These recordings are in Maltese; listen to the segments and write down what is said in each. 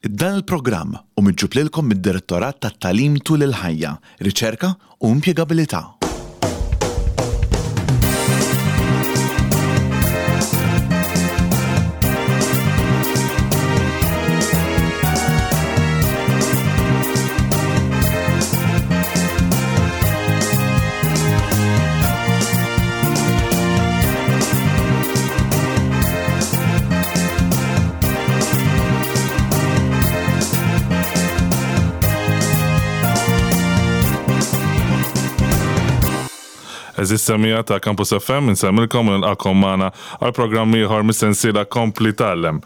Dan il-programm hu miġġub lilkom mid-Direttorat tat-Tagħlim Tul il-Ħajja, Riċerka u Impjegabilità. Eżis semija ta' Campus FM, insemmilkom u nilqakom magħna għal programm ieħor mis-sensiela Kompli Tgħallem.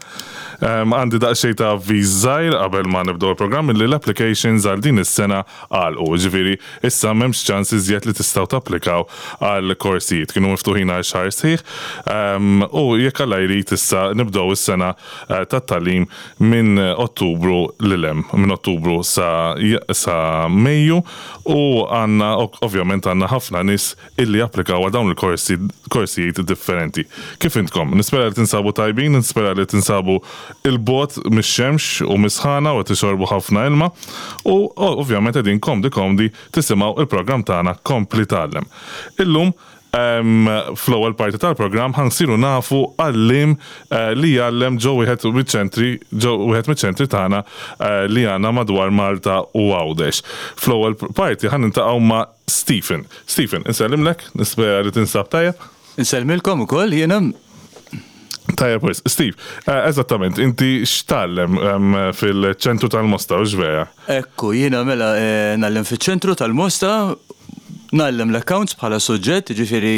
Għandi daqsxejn ta' avviż żgħir qabel ma nibdew il-programm illi l-applications għal din is-sena għalqu. Jiġifieri issa m'hemmx ċans iżjed li tistgħu tapplikaw għal korsijiet. Kienu miftuħin għal xahar sħiħ u jekk Alla jrid issa nibdew is-sena tat-tagħlim minn Ottubru lil hemm, minn Ottubru sa sa Mejju u għandna ovvjament għandna ħafna nies illi japplikaw għal dawn il-korsi korsijiet differenti. Kif intkom? Nispera li tinsabu tajbin, nispera li tinsabu 'il bogħod mix-xemx u mis-sħana u qed tixorbu ħafna ilma u ovvjament qegħdin komdi komdi tisimgħu il-programm tagħna Kompli Tgħallem. Illum fl-ewwel parti tal-programm ħa nsiru nafu għalliem li jgħallem ġo wieħed miċ-ċentri ġo wieħed miċ-ċentri tagħna li għandna madwar Malta u Għawdex. Fl-ewwel parti ħa niltaqgħu ma' Stephen. Stephen, insellimlek, nispera li tinsab tajjeb. Insellmilkom ukoll jiena. Tajjeb wis. Steve, eh, eżattament, inti x'tgħallem fil-ċentru tal-Mosta, u vera? Ekku, jiena mela eh, ngħallem fiċ-ċentru tal-Mosta, ngħallem l-accounts bħala suġġett, ġifieri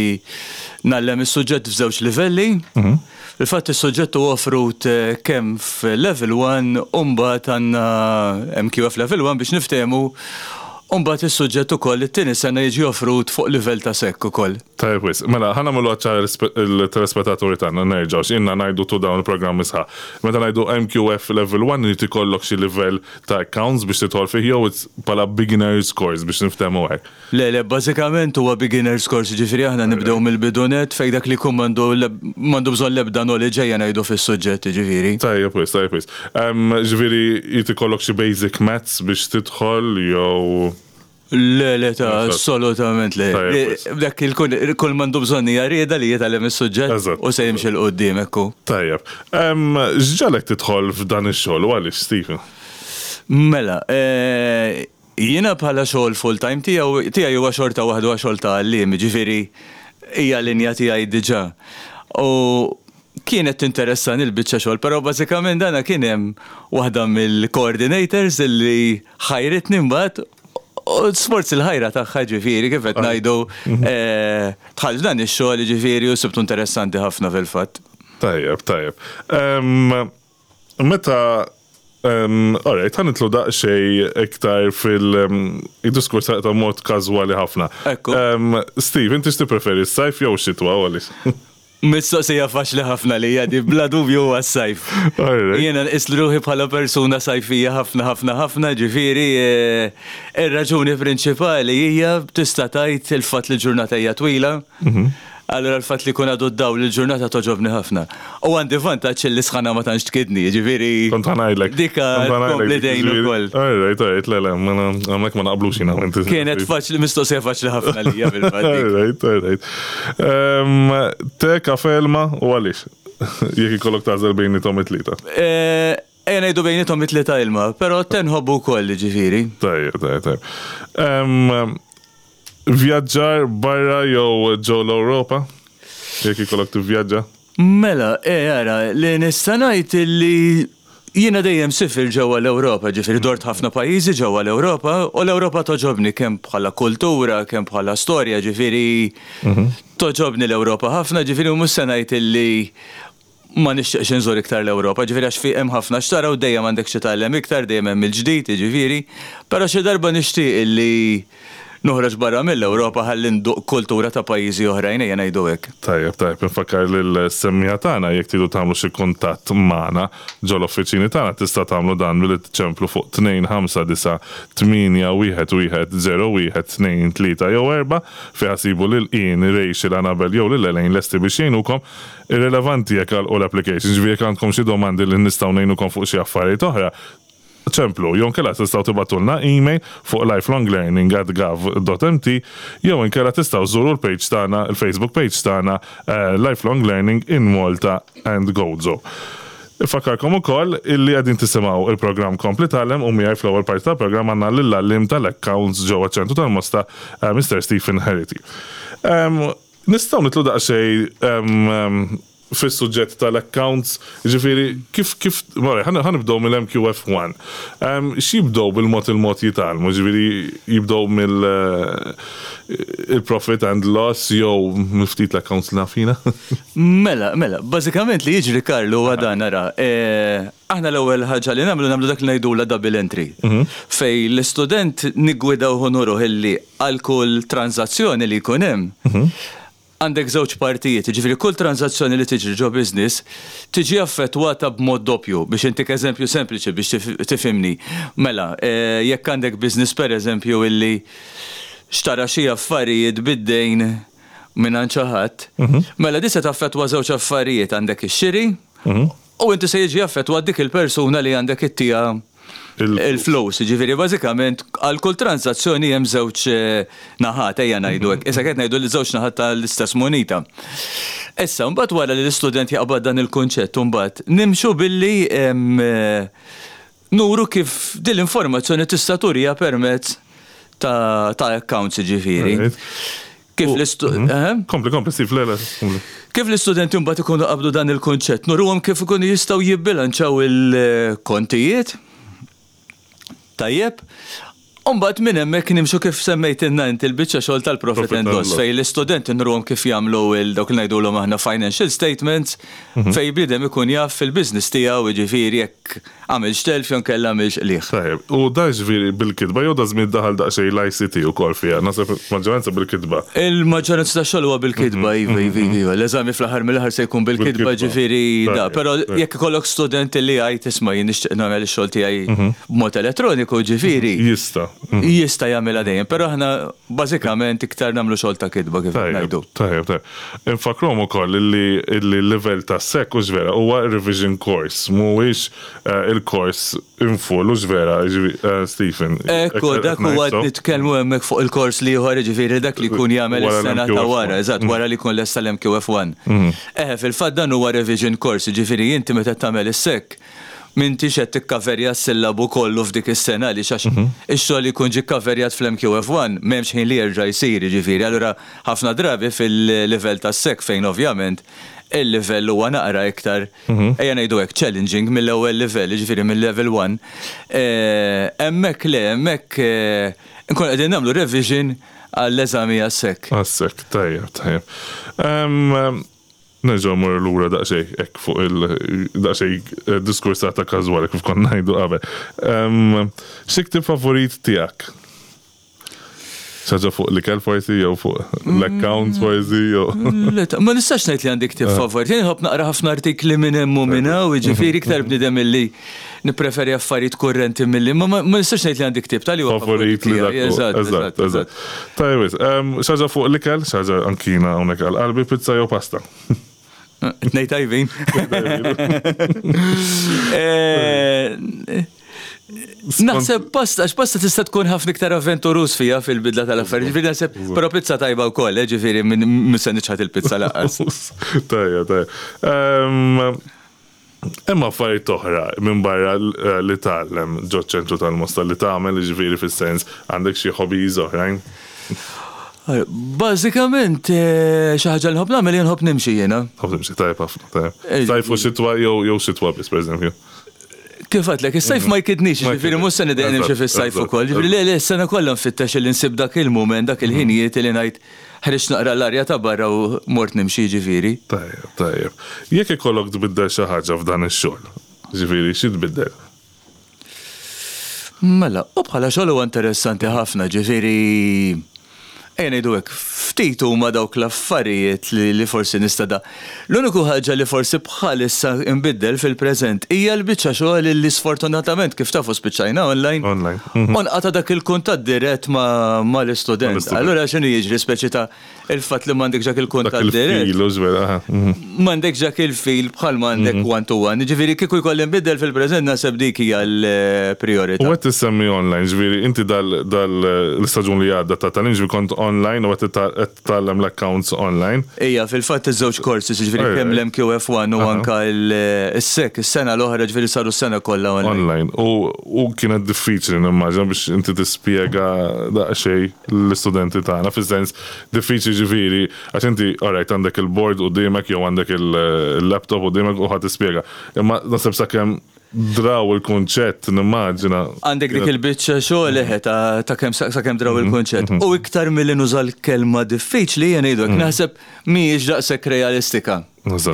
ngħallem is-suġġett f'żewġ livelli. Mhm. Fil-fatt is-suġġett huwa offrut eh, kemm f'level 1 u mbagħad għandna MQF level 1 biex niftehmu u mbagħad is-suġġett ukoll it-tieni sena jiġi offrut fuq livell ta' sekk ukoll. Tajjeb wisq. Mela, ħa nagħmlu ċara l-telespettaturi tagħna nerġgħu x'inna ngħidu tu dawn il-programmi sħaħ. Meta ngħidu MQF level 1 irid ikollok xi livell ta' accounts biex tidħol fih jew it's bħala beginners course biex niftehmu hekk. Le, le, bażikament huwa beginner's course, jiġifieri aħna nibdew mill-bidu nett fejn dak li jkun m'għandu m'għandu bżonn l-ebda knowledge ejja ngħidu fis-suġġett, jiġifieri. Tajjeb wisq, tajjeb wisq. Jiġifieri jrid ikollok xi basic maths biex tidħol jew. Le, le, ta' assolutament le. Dak il-kull kull m'għandu bżonn hija rieda li jitgħallem is-suġġett u se jimxi 'l quddiem, hekk hu. Tajjeb. X'ġagħlek tidħol f'dan ix-xogħol u għaliex, Stephen? Mela, Jiena bħala xogħol full time tiegħu tiegħi huwa xorta waħda huwa xogħol ta' għalliem, jiġifieri hija linja tiegħi diġà. U kienet tinteressani l-biċċa xogħol, però bażikament dana kien hemm waħda mill-coordinators illi ħajritni mbagħad u sforz il-ħajra tagħha ġifieri kif qed ngħidu dħalt f'dan ix-xogħol jiġifieri u sibtu interessanti ħafna fil-fatt. Tajjeb, tajjeb. Meta Alright, ħa nitlu daqsxejn iktar fil-diskors ta' mod każwali ħafna. Ekku. Steve, inti x'tippreferi s-sajf jew x-xitwa u għaliex? Mistoqsija faċli ħafna li jadi, bla dubju huwa s-sajf. Jiena nqis ruħi bħala persuna sajfija ħafna ħafna ħafna, ġifieri eh, ir-raġuni prinċipali hija tista' tgħid il-fatt li l-ġurnata hija twila. Mhm. Allura l-fatt li jkun għadu d-dawl il-ġurnata togħġobni ħafna. U għandi vantaġġ li s-sħana ma tantx tkidni, jiġifieri. Kont ħa ngħidlek. Dika tkompli tgħin ukoll. All right, all right, le, le, hawnhekk ma naqblux jiena u inti. Kienet faċli, mistoqsija faċli ħafna lija fil-fatt. All right, all right. Te, kafe, ilma u għaliex? Jekk ikollok tagħżel bejniethom it-tlieta. Ejja ngħidu bejniethom it-tlieta ilma, però te nħobbu wkoll jiġifieri. Tajjeb, tajjeb, tajjeb. Vjaġġar barra jew ġo l-Ewropa? Jekk ikollok tivvjaġġa? Mela, eh ara, li nista' ngħid illi jiena dejjem sifirt ġewwa l-Ewropa, ġifieri dort ħafna pajjiżi ġewwa l-Ewropa u l-Ewropa togħġobni kemm bħala kultura, kemm bħala storja, ġifieri togħġobni l-Ewropa ħafna, ġifieri u mhux se ngħid illi ma nixtieqx inżur iktar l-Ewropa, ġifieri għax fi hemm ħafna x'tara u dejjem għandek xi tgħallem iktar, dejjem hemm il-ġdid, jiġifieri. Però xi darba nixtieq illi noħroġ barra mill-Ewropa ħalli nduq kultura ta' pajjiżi oħrajn, ejja ngħidu hekk. Tajjeb, tajjeb, infakkar lill-semmiegħa tagħna jekk tridu tagħmlu xi kuntatt magħna ġol-uffiċini tagħna tista' tagħmlu dan billi tiċemplu fuq 259 811 01 2 3 jew 4 fiha sibu lil Ian, Rachel, Annabelle jew lil Elaine lesti biex jgħinukom. Irrelevanti jekk għalqu l-application, ġifieri jekk għandkom xi domandi li nistgħu ngħinukom fuq xi affarijiet oħra, Ċemplu, jew inkella tistgħu tibagħtulna email fuq lifelonglearning@gov.mt jew inkella tistgħu żżuru l-page tagħna, il-Facebook page tagħna Lifelong Learning in Malta and Gozo. Infakkarkom ukoll illi qegħdin tisimgħu il-programm Kompli Tgħallem u miegħi fl-ewwel parti tal-programm għandna lill-għalliem tal-accounts ġewwa ċ-Ċentru tal-Mosta, Mister Stephen Herity. Nistgħu nidħlu daqsxejn fis-suġġett tal-accounts, jiġifieri kif kif ħa nibdew mill-MQF1. X'jibdew bil-mod il-mod jitgħallmu, jiġifieri jibdew mill il-profit and loss jew mill-ftit l-accounts li naf jiena? Mela, mela, bażikament li jiġri Karl huwa dan ara, aħna l-ewwel ħaġa li nagħmlu nagħmlu dak li ngħidulha double entry. Fejn l-istudent niggwidawh u nuruh illi għal kull tranżazzjoni li jkun hemm, Għandek żewġ partijiet, jiġifieri kull tranżazzjoni li tiġri ġo business tiġi affettwata b'mod doppju. Biex intik eżempju sempliċi biex tifhimni. Mela, jekk għandek business pereżempju illi xtara xi affarijiet bid-dejn mingħand xi ħadd, mela di se taffettwa żewġ affarijiet, għandek ix-xiri u inti se jiġi affettwat dik il-persuna li għandek ittiha il-flus. Jiġifieri bażikament għal kull transazzjoni hemm żewġ naħat, ejja ngħidu hekk. Issa qed ngħidu li żewġ naħat tal-istess munita. Issa mbagħad wara li l-istudent jaqbad dan il-kunċett mbagħad nimxu billi nuru kif din l-informazzjoni tista' turiha permezz ta' accounts jiġifieri. Kif l-istu... Mhm. Kompli, kompli, Steve, le, le, kompli. Kif l-istudenti mbagħad ikunu qabdu dan il-kunċett, nuruhom kif ikunu jistgħu jibbilanċaw il-kontijiet. Tajjeb. Umbagħad minn hemmhekk nimxu kif semmejtilna inti l-biċċa xogħol tal-profit and loss fejn l-istudenti nuruhom kif jagħmlu dawk li ngħidulhom aħna financial statements fejn bniedem ikun jaf fil-business tiegħu jiġifieri jekk Għamilx telf jew inkella għamilx qligħ. Tajjeb, u da jiġifieri bil-kitba jew daż-żmien daħal daqsxejn l-ICT ukoll fiha? Naħseb maġġoranza bil-kitba. Il-maġġoranza tax-xogħol huwa bil-kitba, iva, iva, iva. L-eżami fl-aħħar mill-aħħar se jkun bil-kitba, ġifieri da. Però jekk ikollok student li jgħid isma' jien nixtieq nagħmel ix-xogħol tiegħi b'mod elettroniku, ġifieri. Jista'. Jista' jagħmilha dejjem, però aħna bażikament iktar nagħmlu xogħol ta' kitba kif qed ngħidu. Tajjeb, tajjeb. Infakkruhom ukoll illi l-livell tas-SEC hux vera, huwa revision course, mhuwiex il-kors in full, hux vera, Stephen? Ekku, dak huwa nitkellmu hemmhekk fuq il-kors l-ieħor, jiġifieri dak li jkun jagħmel is-sena ta' wara, eżatt, wara li jkun lesta l-MQF1. Eħe, fil-fatt dan huwa revision course, jiġifieri inti meta tagħmel is-SEC, M'intix qed tikkaverja s-sillabu kollu f'dik is-sena għaliex għax ix-xogħol li jkun ġie kkaverjat fl-MQF1 m'hemmx ħin li jerġa' jsir jiġifieri allura ħafna drabi fil-livell tas-SEC fejn ovvjament il-livell huwa naqra iktar ejja ngħidu hekk challenging mill-ewwel livell jiġifieri mil-level one hemmhekk le hemmhekk inkunu qegħdin nagħmlu revision għall-eżami għas-SEC. Għas-SEC, tajjeb, tajjeb. Nerġgħu mmorru lura daqsxejn hekk fuq il daqsxejn diskursata każwali kif konna ngħidu qabel. Xi ktieb favorit tiegħek? Xi ħaġa fuq l-ikel forsi jew fuq l-accounts forsi jew. Ma nistax ngħid li għandi ktieb favorit. Jien nħobb naqra ħafna artikli minn hemm u minn hawn, jiġifieri iktar bniedem illi nippreferi affarijiet kurrenti milli ma ma nistax ngħid li għandi ktieb tal huwa favorit li dak. Eżatt, eżatt, eżatt. Tajjeb, xi ħaġa fuq l-ikel, xi ħaġa anki jiena hawnhekk għal qalbi, pizza jew pasta? Tnej tajbin. Eh, naħseb pasta, għax pasta tista' tkun ħafna iktar avventuruż fija fil-bidla tal-affarijiet. Ġifieri naħseb, però pizza tajba wkoll, eh, ġifieri minn se niċħad il-pizza lanqas. Tajja, tajja. Hemm affarijiet oħra minbarra li tgħallem ġoċ-ċentru tal-Mosta li tagħmel, jiġifieri fis-sens għandek xi hobbies oħrajn? Bażikament xi ħaġa li nħobb nagħmel jien nħobb nimxi jiena. Tħobb timxi, tajjeb ħafna, tajjeb. Sajf u xitwa jew xitwa biss pereżempju. Kif għedtlek, is-sajf ma jkidnix, jiġifieri mhux se nidejjaq nimxi fis-sajf ukoll. Jiġifieri le le s-sena kollha nfittex li nsib dak il-mument, dak il-ħinijiet li ngħid Ħriġt naqra l-arja ta' barra u mort nimxi jiġifieri. Tajjeb, tajjeb. Jekk ikollok tbiddel xi ħaġa f'dan ix-xogħol, jiġifieri xi tbiddel? Mela, u bħala xogħol huwa interessanti ħafna, ġifieri. Ejja ngħidu hekk, ftit huma dawk l-affarijiet li forsi nista' da. L-uniku ħaġa li forsi bħalissa nbiddel fil-preżent hija l-biċċa xogħol li sfortunatament kif tafu spiċċajna online. Online. U nqata' dak il-kuntatt dirett mal-istudent. Allura x'inhu jiġri speċi ta' il-fatt li m'għandekx dak il-kuntatt dirett. Dak il-feel, hux vera, aha. M'għandekx dak il-feel bħal m'għandek one to one. Jiġifieri kieku jkolli nbiddel fil-preżent naħseb dik hija l-prijorità. U qed issemmi online, ġifieri inti dal l-istaġun li għadda ta' tagħlim ġifieri kont online u qed tgħallem l-accounts online. Ija, fil-fatt iż-żewġ courses, jiġifieri kemm l-MQF1 u anke s-SEC is-sena l-oħra ġifieri saru s-sena kollha online. Online. U kienet diffiċli nimmaġina biex inti tispjega daqsxejn lill-istudenti tagħna, fis-sens diffiċli ġifieri għax inti alright għandek il-board quddiemek jew għandek il-laptop quddiemek u ħa tispjega. Imma naħseb sakemm draw il-kunċett nimmaġina. Għandek dik il-biċċa xogħol eħe ta' kemm sakemm draw il-kunċett. U iktar milli nuża l-kelma diffiċli jien ngħidu hekk naħseb mhijiex daqshekk realistika.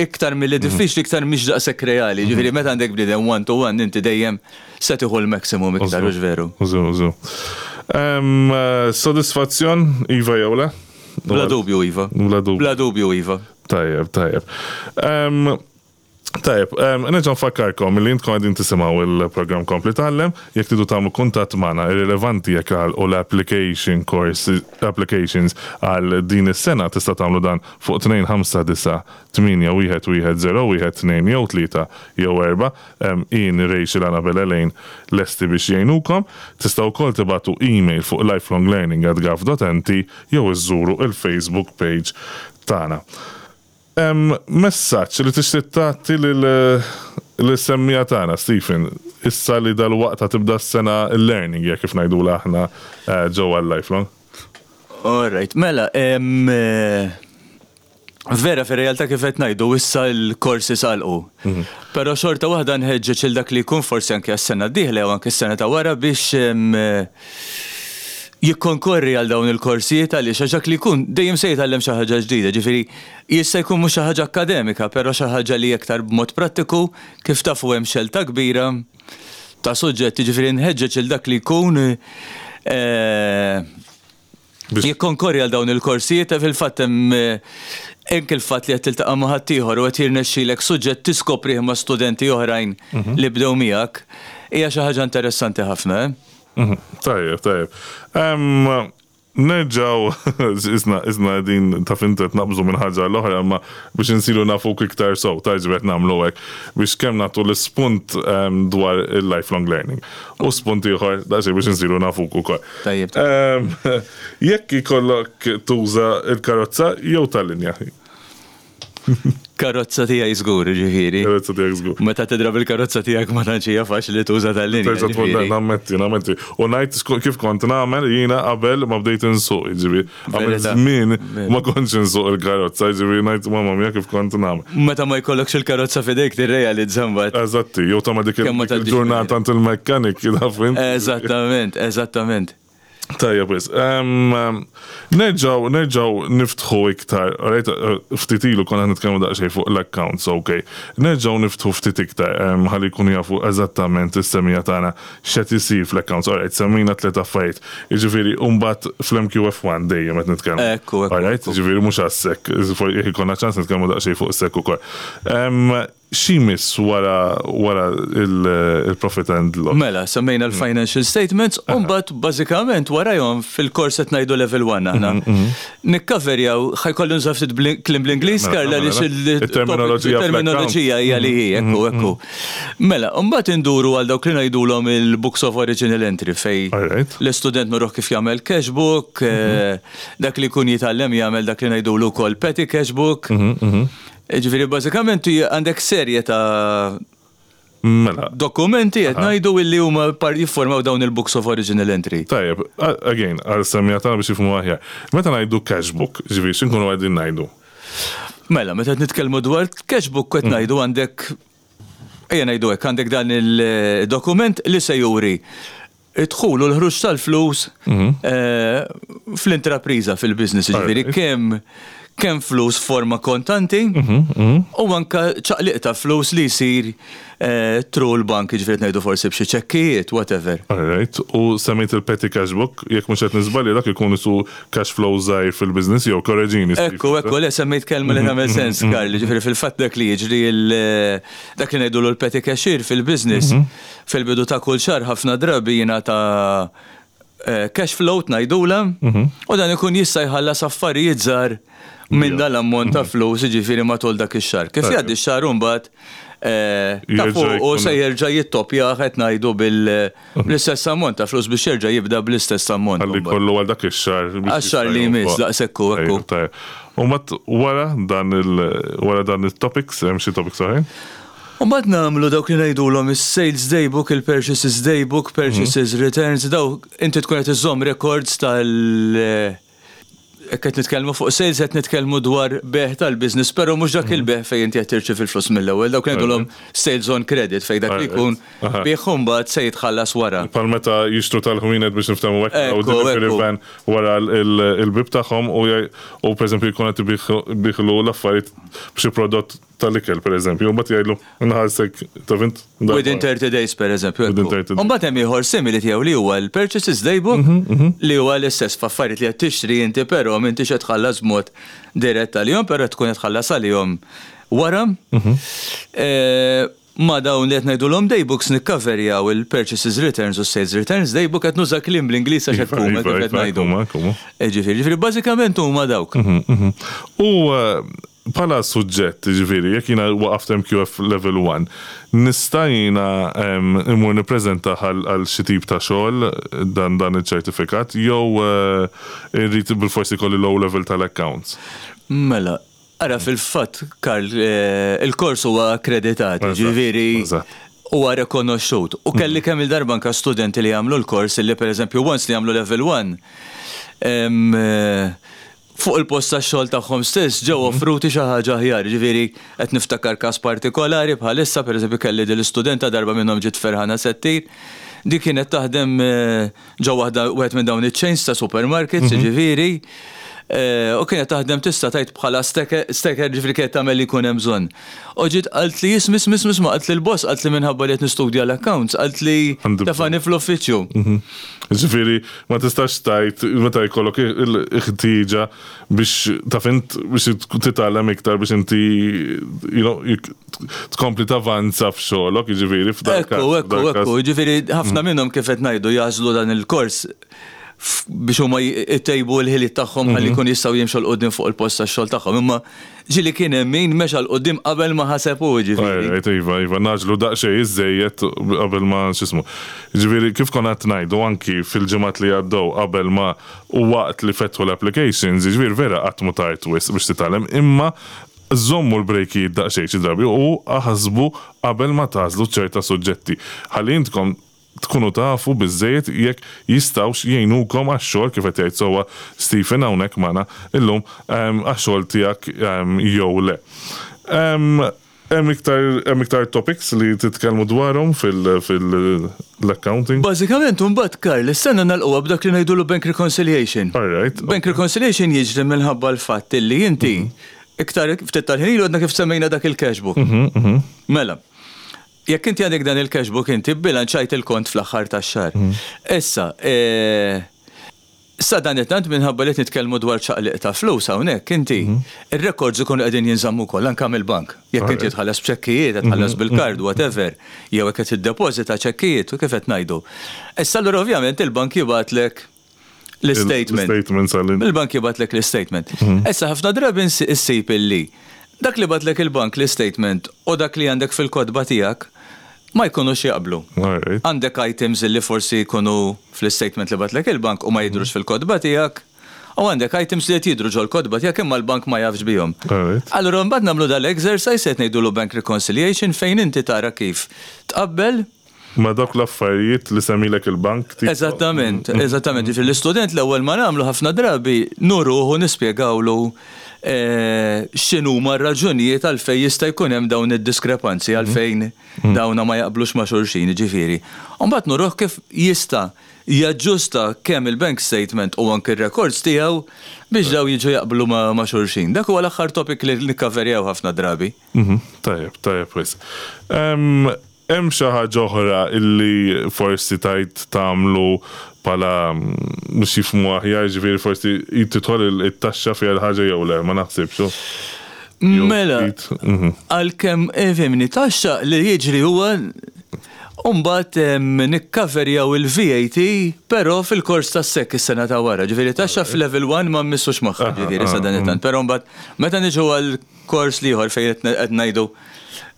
Iktar milli diffiċli iktar mhix daqshekk reali. Ġifieri meta għandek bniedem one to one inti dejjem se tieħu l-maximum iktar, hux veru? Użu, użu. Sodisfazzjon, iva jew le? Bla dubju iva. Bla dubju. Bla dubju iva. Tajjeb, tajjeb. Tajjeb, nerġa' nfakkarkom li intkom qegħdin tisimgħu il-programm Kompli Tgħallem, jekk tridu tagħmlu kuntatt magħna irrilevanti jekk għalqu l-application course applications għal din is-sena tista' tagħmlu dan fuq 259 8 1 1 0 1 2 jew 3 jew 4. Ian, Rachel, Annabel, Elaine lesti biex jgħinukom. Tistgħu wkoll tibagħtu email fuq lifelonglearning@gov.nt jew iżżuru il-Facebook page tagħna. Hemm messaġġ li tixtieq tagħti lis-semmiegħa tagħna, Stephen, issa li dalwaqt ħa tibda s-sena l-learning year kif ngħidulha aħna ġewwa l-Lifelong? All right, mela, vera fir-realtà kif qed ngħidu issa l-courses għalqu. Però xorta waħda nħeġġeġ lil dak li jkun forsi anke għas-sena d-dieħla jew anke s-sena ta' wara biex jikkonkorri għal dawn il-korsijiet għaliex għax dak li jkun dejjem se jitgħallem xi ħaġa ġdida, ġifieri jista' jkun mhux xi ħaġa akkademika, però xi ħaġa li iktar b'mod prattiku, kif tafu hemm xelta kbira ta' suġġetti, ġifieri nħeġġeġ lil dak li jkun jikkonkorri għal dawn il-korsijiet, fil-fatt hemm anke il-fatt li qed tiltaqa' ma' ħaddieħor u qed jirnexxilek suġġett tiskoprih ma' studenti oħrajn li bdew miegħek, hija xi ħaġa interessanti ħafna. Tajjeb, tajjeb. Nerġaw, isna, isna din ta' fintet naqbżu minn ħaġa l-oħra, imma biex insiru nafuk iktar sew, tajġ qed nagħmlu hekk, biex kemm nagħtu l-ispunt dwar il-lifelong learning. U spunt ieħor daqsxejn biex insiru nafuk ukoll. Tajjeb. Jekk ikollok tuża l-karozza jew tal-linja? Karozza tiegħi żgur, ġifieri. Karozza tiegħek żgur. Meta tidrab il-karozza tiegħek ma tantx hija faċli tuża tal-linja. Terġa' tmur nammetti, nammetti. U ngħid kif kont nagħmel jiena qabel ma bdejt insuq, jiġifieri. Għamilt żmien ma kontx insuq il-karozza, jiġifieri ngħid mamma mia kif kont nagħmel. Meta ma jkollokx il-karozza f'idejk tirrealizza mbagħad. Eżatti, jew tagħmel dik il-ġurnata għand il-mekkanik, taf int. Eżattament, eżattament. Tajjeb wis. Nerġgħu nerġgħu niftħu iktar, alright, ftit ilu konna nitkellmu daqsxejn fuq l-accounts, ok. Nerġgħu niftħu ftit iktar ħalli jkunu jafu eżattament is-semija tagħna x'qed isir fl-accounts. Alright, semmejna tliet affarijiet. Jiġifieri u mbagħad fl-MQF1 dejjem qed nitkellmu. Ekku, ekku. Alright, jiġifieri mhux għas-SEC, jekk ikollna ċans nitkellmu daqsxejn fuq is-SEC ukoll. Xi jmiss wara wara il-profit and loss? Mela, semmejna l-financial statements, u mbagħad bażikament warajhom fil-kors qed ngħidu level 1 aħna. Nikkaverjaw, ħa jkolli nuża ftit kliem bl-Ingliż, Karl, għaliex il-terminoloġija hija li hi, ekku, ekku. Mela, u mbagħad induru għal dawk li ngħidulhom il-books of original entry fejn l-istudent nuruh kif jagħmel cash book, dak li jkun jitgħallem jagħmel dak li ngħidulu wkoll petty cash book. Ġifieri bażikament għandek serje ta' Mela. Dokumenti qed ngħidu illi huma jiffurmaw dawn il-books of original entry. Tajjeb, again, għal semmiegħa tagħna biex jifhmu aħjar. Meta ngħidu cash book, ġifieri x'inkunu qegħdin ngħidu? Mela, meta qed nitkellmu dwar cash book qed ngħidu għandek ejja ngħidu hekk, għandek dan il-dokument li se juri id-dħul u l-ħruġ tal-flus fl-intrapriża, fil-business, jiġifieri kemm kemm flus forma kontanti u anka ċaqliq ta' flus li jsir through l-bank, jiġifieri qed ngħidu forsi b'xi ċekkijiet, whatever. Alright, u semmejt il-petty cash book, jekk mhux qed niżbalja dak ikun isu cash flow żgħir fil-business jew korreġini. Steve. Ekku, ekku, le semmejt kelma li tagħmel sens, Karl, jiġifieri fil-fatt dak li jiġri dak li ngħidulu l-petty cashier fil-business, fil-bidu ta' kull xahar ħafna drabi jingħata cash flow ngħidulha, u dan ikun jista' jħallas affarijiet żgħar minn dal-ammont ta' flus, jiġifieri matul dak ix-xahar. Kif jgħaddi x-xahar imbagħad ta' fuq se jerġa' jittoppjah qed ngħidu bl-istess ammont ta' flus biex jerġa' jibda bl-istess ammont. Ħalli jkollu għal dak ix-xahar. Għax-xahar li jmiss, daqshekk hu, ekku. U mbagħad wara dan wara dan it-topics, hemm xi topics oħrajn? U mbagħad nagħmlu dawk li ngħidulhom is-sales day book, il-purchases day book, purchases returns, dawk inti tkun qed iżżomm records tal hekk qed nitkellmu fuq sales qed nitkellmu dwar bejgħ tal-business, però mhux dak il-bejgħ fejn inti qed tirċievi l-flus mill-ewwel, dawk ngħidulhom sales on credit fejn dak li jkun bih u mbagħad se jitħallas wara. Bħal meta jixtru tal-ħwienet biex niftehmu hekk u delivery van wara l-bieb tagħhom u pereżempju jkun qed ibiħlu l-affarijiet b'xi prodott tal-ikel, per eżempju, u mbagħad jgħidlu nħallsek taf int. Within 30 days, per eżempju. Within 30 days. U mbagħad hemm ieħor simili tiegħu li huwa l-Purchases Daybook li huwa l-istess f'affarijiet li qed tixtri inti però m'intix qed tħallas b'mod dirett għalihom, però tkun qed tħallas għalihom wara. Ma' dawn li qed ngħidulhom daybooks nikkaverjaw il-purchases returns u s-sales returns daybook qed nuża kliem bl-Ingliż għax hekk huma kif qed ngħidu. Jiġifieri, jiġifieri bażikament huma dawk. U bħala suġġett, jiġifieri, jekk jiena waqaft MQF level 1, nista' jiena immur nippreżentah għal xi tip ta' xogħol dan dan iċ-ċertifikat jew irrid bilfors ikolli l-O level tal-accounts? Mela, Ara fil-fatt, Karl, il-kors huwa akkreditat, jiġifieri huwa rikonoxxut. U kelli kemm il-darba anke studenti li jagħmlu l-kors li pereżempju once li jagħmlu level 1 fuq il-post tax-xogħol tagħhom stess ġew offruti xi ħaġa aħjar. Jiġifieri qed niftakar każ partikolari bħalissa, pereżempju kelli din l-istudenta darba minnhom ġiet ferħana se ttir, di kienet taħdem ġo waħda wieħed minn dawn iċ-chains ta' supermarkets, jiġifieri, u kienet taħdem tista' tgħid bħala stacker, ġifieri kienet tagħmel li jkun hemm bżonn. U ġiet qalt li isma' isma' isma' isma' qalt li l-boss qalt li minħabba li qed nistudja l-accounts qalt li tefani fl-uffiċċju. Ġifieri ma tistax tgħid meta jkollok il-ħtieġa biex taf int biex titgħallem iktar biex inti you know, tkompli tavanza f'xogħlok, jiġifieri f'dak. Ekku, ekku, ekku, jiġifieri ħafna minnhom kif qed ngħidu jagħżlu dan il-kors biex huma jtejbu l-ħiliet tagħhom ħalli jkunu jistgħu jimxu 'l quddiem fuq il-post tax-xogħol tagħhom. Imma ġieli kien hemm min mexa 'l quddiem qabel ma ħaseb hu, jiġifieri. Right, iva, iva, ngħaġġlu daqsxejn iżżejjed qabel ma x'ismu. Jiġifieri kif konna qed ngħidu anki fil-ġimgħat li għaddew qabel ma u waqt li fetħu l-applications, jiġifieri vera qatt mhu tard wisq biex titgħallem, imma Żommu l-brejkijiet daqsxejn xi drabi u aħsbu qabel ma tagħżlu ċerta suġġetti ħalli intkom tkunu tafu biżżejjed jekk jistgħux jgħinukom għax-xogħol kif qed jgħid sewwa Stephen hawnhekk magħna illum għax-xogħol tiegħek jew le. Hemm iktar hemm iktar topics li titkellmu dwarhom fil-accounting? Bażikament imbagħad Karl, is-sena nagħlquha b'dak li ngħidulu bank reconciliation. All right. Bank reconciliation jiġri minħabba l-fatt illi inti iktar ftit tal-ħin ilu għadna kif semmejna dak il-cash book. Mela, jekk inti għandek dan il-cash book inti bbilanċajt il-kont fl-aħħar tax-xahar. Issa, Sadanittant minħabba li qed nitkellmu dwar ċaqliq ta' flus hawnhekk, inti, ir-records ikunu qegħdin jinżammu wkoll anke mill-bank. Jekk inti tħallas b'ċekkijiet, qed tħallas bil-kard, whatever, jew jekk qed tiddepożita ċekkijiet, u kif qed ngħidu. Issa allura ovvjament il-bank jibgħatlek l-istatement. Il-bank jibgħatlek l-istatement. Issa ħafna drabi ssib illi dak li bagħatlek il-bank l-istatement u dak li għandek fil-kotba tiegħek ma jkunux jaqblu. Għandek items li forsi jkunu fl-istatement li bagħatlek il-bank u ma jidhrux fil-kotba tiegħek, u għandek items li qed jidhru ġol-kotba tiegħek imma l-bank ma jafx bihom. Allura mbagħad nagħmlu dal-exercise qed ngħidulu bank reconciliation fejn inti tara kif tqabbel Ma' dawk l-affarijiet li semmilek il-bank tipo. Eżattament, eżattament. Jiġifieri l-istudent l-ewwel ma nagħmlu ħafna drabi nuruh u nispjegawlu. X'inhuma r-raġunijiet għalfejn jista' jkun hemm dawn id-diskrepanzi, għalfejn dawna ma jaqblux ma' xulxin, jiġifieri. U mbagħad nuruh kif jista' jaġġusta kemm il-bank statement u anki r-records tiegħu biex dawn jiġu jaqblu ma' xulxin. Dak huwa l-aħħar topic li nikkaverjaw ħafna drabi. Tajjeb, tajjeb wisq. Hemm xi ħaġa oħra illi forsi tgħid tagħmlu bħala biex jifhmu aħjar, jiġifieri forsi tidħol it-taxxa fiha l-ħaġa jew le, ma naħsibx, hu? Mela, għalkemm ifhimni, taxxa li jiġri huwa mbagħad nikkaverjaw il-VAT però fil-kors tas-SEC is-sena ta' wara. Ġifieri taxxa f'level 1 ma mmissux magħha, ġifieri sadanittant. Però mbagħad meta niġu għal Kors l-ieħor fejn qed ngħidu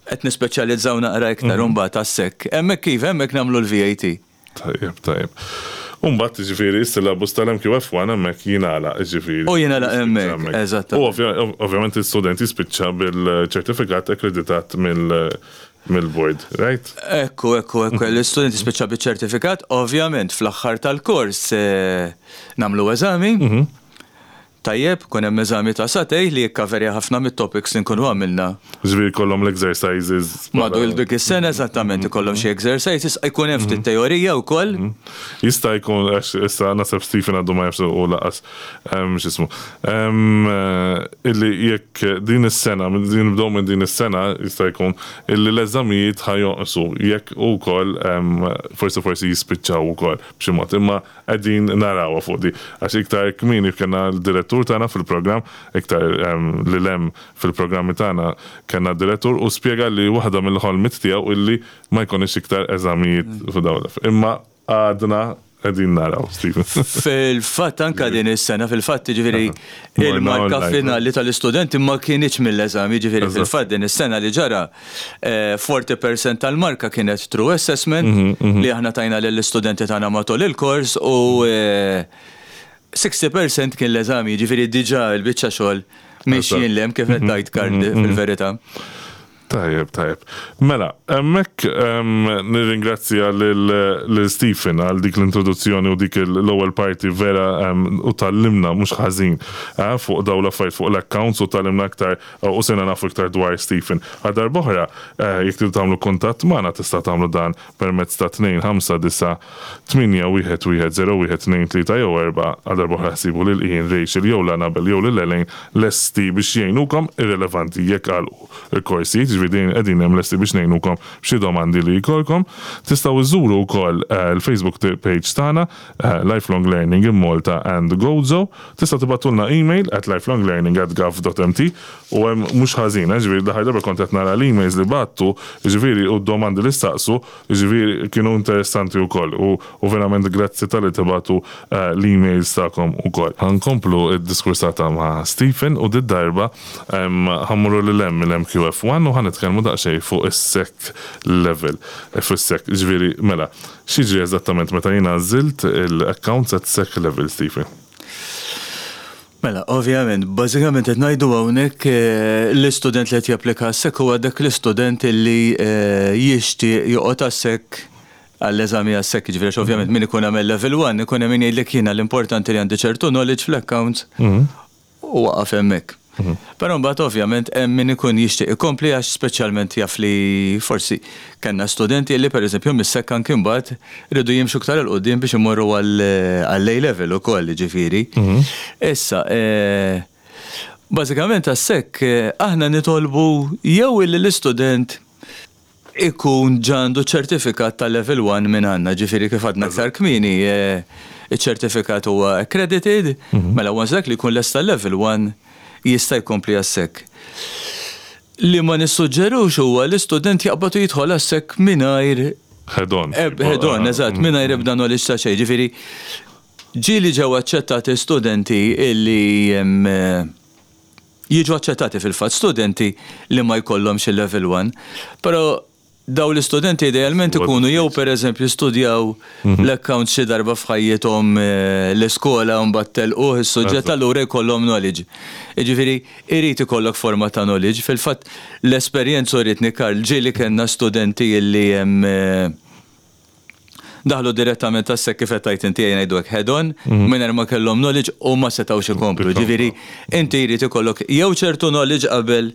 qed nispeċjalizzaw naqra iktar u mbagħad għas-SEC. Hemmhekk iva, hemmhekk nagħmlu l-VAT. Tajjeb, tajjeb. U mbagħad jiġifieri s-syllabus tal-MQF1 hemmhekk jingħalaq jiġifieri. U jingħalaq hemmhekk, eżatt. U ovvjament l-istudent jispiċċa bil-ċertifikat akkreditat mill-board, right? Ekku, ekku, ekku, l-istudent jispiċċa biċ-ċertifikat, ovvjament fl-aħħar tal-kors nagħmlu eżami. Tajjeb, ikun hemm eżami ta' sagħtejn li jikkaverja ħafna mit-topics li nkunu għamilna. Jiġifieri jkollhom l-exercises. Matul dik is-sena eżattament ikollhom xi exercises, ikun hemm ftit teorija wkoll. Jista' jkun għax issa naħseb Stephen għadu ma jafx u lanqas x'ismu. Illi jekk din is-sena, nibdew minn din is-sena jista' jkun illi l-eżamijiet ħa jonqsu jekk ukoll forsi forsi jispiċċaw ukoll b'xi mod. Imma Qegħdin narawha fuq di. Għax iktar kmieni kellna l-direttur tagħna fil-programm, iktar lil hemm fil-programmi tagħna kellna d-direttur u spjega li waħda mill-ħolmiet tiegħu illi ma jkollniex iktar eżamijiet f'dawn l-aff. Imma għadna qegħdin naraw, Stephen. Fil-fatt anke din is-sena, fil-fatt jiġifieri il-marka finali tal-istudenti ma kinitx mill-eżami, jiġifieri fil-fatt din is-sena li ġara 40% tal-marka kienet true assessment li aħna tajna lill-istudenti tagħna matul il-kors u 60% kien l-eżami, jiġifieri diġà l-biċċa xogħol mixjin 'l hemm kif qed tgħid Karl fil-verità. Tajjeb, tajjeb. Mela, hemmhekk nirringrazzja lil Stephen għal dik l-introduzzjoni u dik l-ewwel parti vera u tgħallimna mhux ħażin fuq dawn l-affarijiet fuq l-accounts u tgħallimna aktar U sirna nafu iktar dwar Stephen. Għal darb'oħra, jekk tridu tagħmlu kuntatt magħna tistgħu tagħmlu dan permezz ta' 259 811 01 2 3 jew 4. Għal darb'oħra ħsibu lil Ian, Rachel jew l-Annabel jew lil Elaine lesti biex jgħinukom, irrelevanti jekk għalqu l-korsijiet, jiġifieri dejjem qegħdin hemm lesti biex ngħinukom b'xi domandi li jkollkom. Tistgħu iżżuru wkoll il-Facebook page tagħna Lifelong Learning in Malta and Gozo. Tistgħu tibgħatulna email at lifelonglearning@gov.mt u hemm mhux ħażin, eh, ġifieri l-aħħar darba kont qed nara l-emails li bgħattu, jiġifieri u d-domandi li staqsu, jiġifieri kienu interessanti wkoll u u verament grazzi talli tibgħatu l-emails tagħkom ukoll. Ħa nkomplu d-diskursata ma' Stephen u did-darba ħa mmorru lil hemm mill-MQF1 u ħa nitkellmu daqsxejn fuq is-SEC level, fuq is-SEC, jiġifieri mela, X'jiġri eżattament meta jien għażilt l-accounts at SEC level, Stephen? Mela, ovvjament, bażikament qed ngħidu hawnhekk l-istudent li qed japplika għas-SEC huwa dak l-istudent li jixtieq joqgħod għas-SEC għall-eżami għas-SEC, jiġifieri għax ovvjament min ikun għamel level one ikun hemm min jgħidlek jiena l-importanti li għandi ċertu knowledge fl-accounts u waqaf hemmhekk. Però mbagħad ovvjament hemm min ikun jixtieq ikompli għax speċjalment jaf li forsi kellna studenti li pereżempju mis-SEC anki mbagħad riedu jimxu iktar 'il quddiem biex imorru għall-A level ukoll jiġifieri. Issa, bażikament għas-SEC aħna nitolbu jew illi l-istudent ikun ġa għandu ċertifikat ta' level 1 minn għandna, ġifieri kif għadna aktar kmieni, iċ-ċertifikat huwa accredited, mela once dak li jkun lesta level 1 jista' jkompli għas-SEC. Li ma nissuġġerux huwa li student jaqbad u jidħol għas-SEC mingħajr Head on. Head on, eżatt, mingħajr ebda knowledge ta' xejn. Ġifieri ġieli ġew aċċettati studenti illi Jiġu aċċettati fil-fatt studenti li ma jkollhomx il-level 1, però dawn l-istudenti idealment ikunu jew pereżempju studjaw l-accounts xi darba f'ħajjithom l-iskola u mbagħad telquh is-suġġett allura jkollhom knowledge. Jiġifieri irid ikollok forma ta' knowledge. Fil-fatt l-esperjenza urietni Karl ġieli kellna studenti li daħlu direttament għas-SEC kif qed tgħid inti ejja ngħidu hekk head on, mingħajr ma kellhom knowledge u ma setgħux ikomplu. Ġifieri inti jrid ikollok jew ċertu knowledge qabel,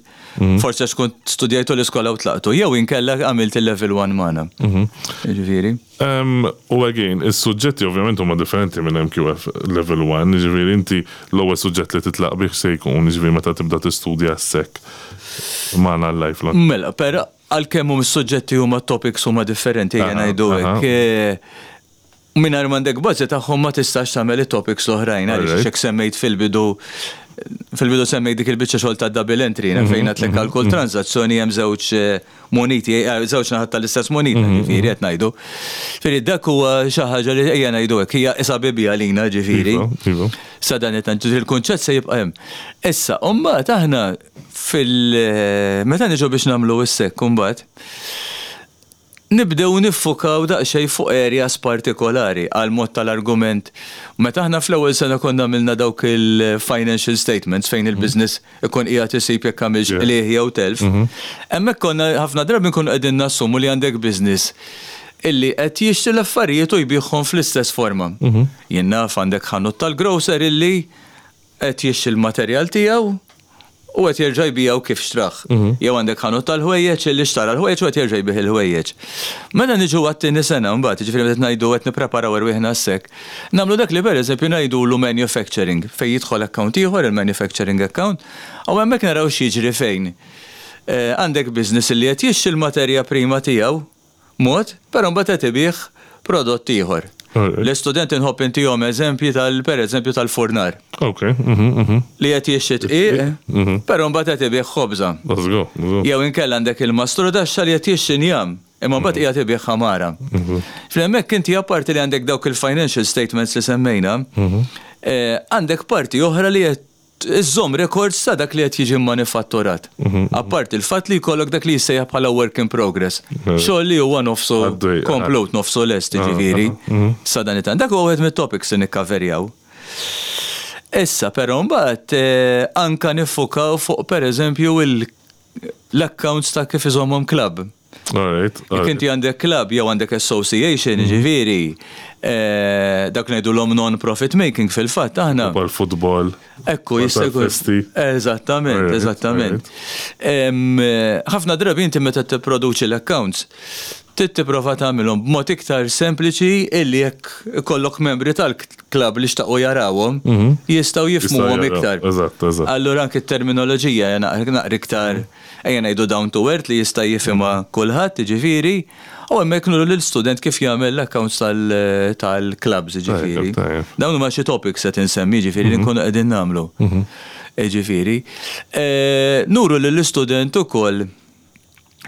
forsi għax kont studjajtu l-iskola u tlaqtu, jew inkella għamilt il-level 1 magħna. Ġifieri. U again, is-suġġetti ovvjament huma differenti minn MQF level 1, ġifieri inti l-ewwel suġġett li titlaq bih se jkun, ġifieri meta tibda tistudja s-SEC magħna l-lifelong. Mela, però għalkemm hum is-suġġetti huma topics huma differenti ejja ngħidu hekk. Mingħajr m'għandek bażi tagħhom ma tistax tagħmel it-topics l-oħrajn għaliex hekk semmejt fil-bidu fil-bidu semmejt dik il-biċċa xogħol ta' double entry fejn għedtlek għal kull transazzjoni hemm żewġ muniti, żewġ naħat tal-istess munita, ġifieri qed ngħidu. Ġifieri dak huwa xi ħaġa li ejja ngħidu hekk hija isa bibi għalina ġifieri. Sa dan it-tant il-kunċett se jibqa' hemm. Issa, u mbagħad aħna fil meta niġu biex nagħmlu s-SEC mbagħad nibdew niffukaw daqsxejn fuq areas partikolari għal mod tal-argument. Meta aħna fl-ewwel sena konna għamilna dawk il-financial statements fejn il-business ikun qiegħed isib jekk għamilx qligħ jew telf, hemmhekk konna ħafna drabi nkunu qegħdin nassumu li għandek business illi qed jixtri l-affarijiet u jbigħhom fl-istess forma. Jien naf għandek ħanut tal-grocer illi qed jixtri l-materjal tiegħu u qed jerġa' jbigħu kif xtrah. Jew għandek ħanut tal-ħwejjeġ illi xtara l-ħwejjeġ u qed jerġa' jbigħ il-ħwejjeġ. Meta niġu għat-tieni sena mbagħad, jiġifieri meta qed ngħidu qed nippreparaw erwieħna għas-SEC, nagħmlu dak li pereżempju ngħidulu manufacturing, fejn jidħol account ieħor, il-manufacturing account, u hemmhekk naraw x'jiġri fejn għandek business illi qed jixtri l-materja prima tiegħu mod, però mbagħad qed ibigħ prodott ieħor. L-istudenti nħobb intihom eżempji tal pereżempju tal-furnar. Ok. Mhm, Li qed jixtri dqiq, però mbagħad qed ibigħ ħobża. Let's go. Jew inkella għandek il-mastrudaxxa li qed jixtri njam, imma mbagħad qiegħed ibigħ ħamara. Fl-hemmhekk inti apparti li għandek dawk il-financial statements li semmejna, għandek parti oħra li qed iżżomm records ta' dak li qed jiġi manifatturat. Apparti il-fatt li jkollok dak li jissejjaħ bħala work in progress. Xogħol li huwa nofsu komplut, nofsu lest, ġifieri. Sa dan it Dak huwa wieħed mit-topics li nikkaverjaw. Issa però mbagħad anka niffukaw fuq pereżempju l-accounts ta' kif iżommhom club. Jekk inti għandek club jew għandek association, ġifieri, dak ngħidulhom non-profit making fil-fatt aħna. Bħal futbol. Ekku, jista' jkun. Eżattament, eżattament. Ħafna drabi inti meta tipproduċi l-accounts, trid tipprova tagħmilhom b'mod iktar sempliċi illi jekk ikollok membri tal-klabb li xtaqu jarawhom, jistgħu jifhmuhom iktar. Eżatt, eżatt. Allura anke t-terminoloġija naqra iktar ejja ngħidu down to earth li jista' jifhimha kulħadd, jiġifieri, u hemmhekk nuru lill-student kif jagħmel l-accounts tal-clubs, jiġifieri. Dawn huma xi topics qed insemmi, jiġifieri li nkunu qegħdin nagħmlu. Jiġifieri. Nuru lill-istudent ukoll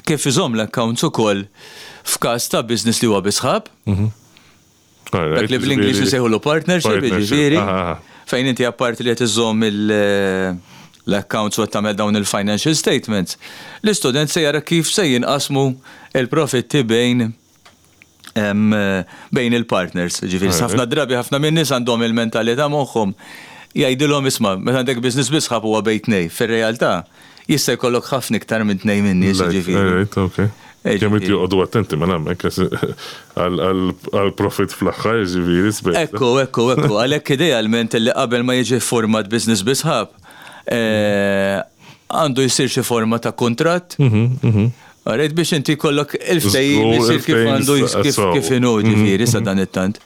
kif iżomm l-accounts ukoll f'każ ta' business li huwa bi sħab. Dak li bl-Ingliż insejħulu partnership, jiġifieri. Fejn inti apparti li qed iżomm l-accounts u qed tagħmel dawn il-financial statements, l-istudent se jara kif se jinqasmu il-profitti bejn il-partners. Ġifieri, ħafna drabi ħafna minn nies għandhom il-mentalità moħħhom jgħidilhom isma' meta għandek business bi sħab huwa bejn tnej. Fir-realtà jista' jkollok ħafna iktar minn tnej minn nies, ġifieri. Kemm joqogħdu attenti minn hemmhekk għal-profit fl-aħħar, ġifieri sbejt. Ekku. Għalhekk idealment li qabel ma jiġi format business bi sħab, għandu jsir xi forma ta' kuntratt. Għarajt biex inti kollok il-ftehim jisir kif għandu kif inhu ġifieri sa dan it-tant.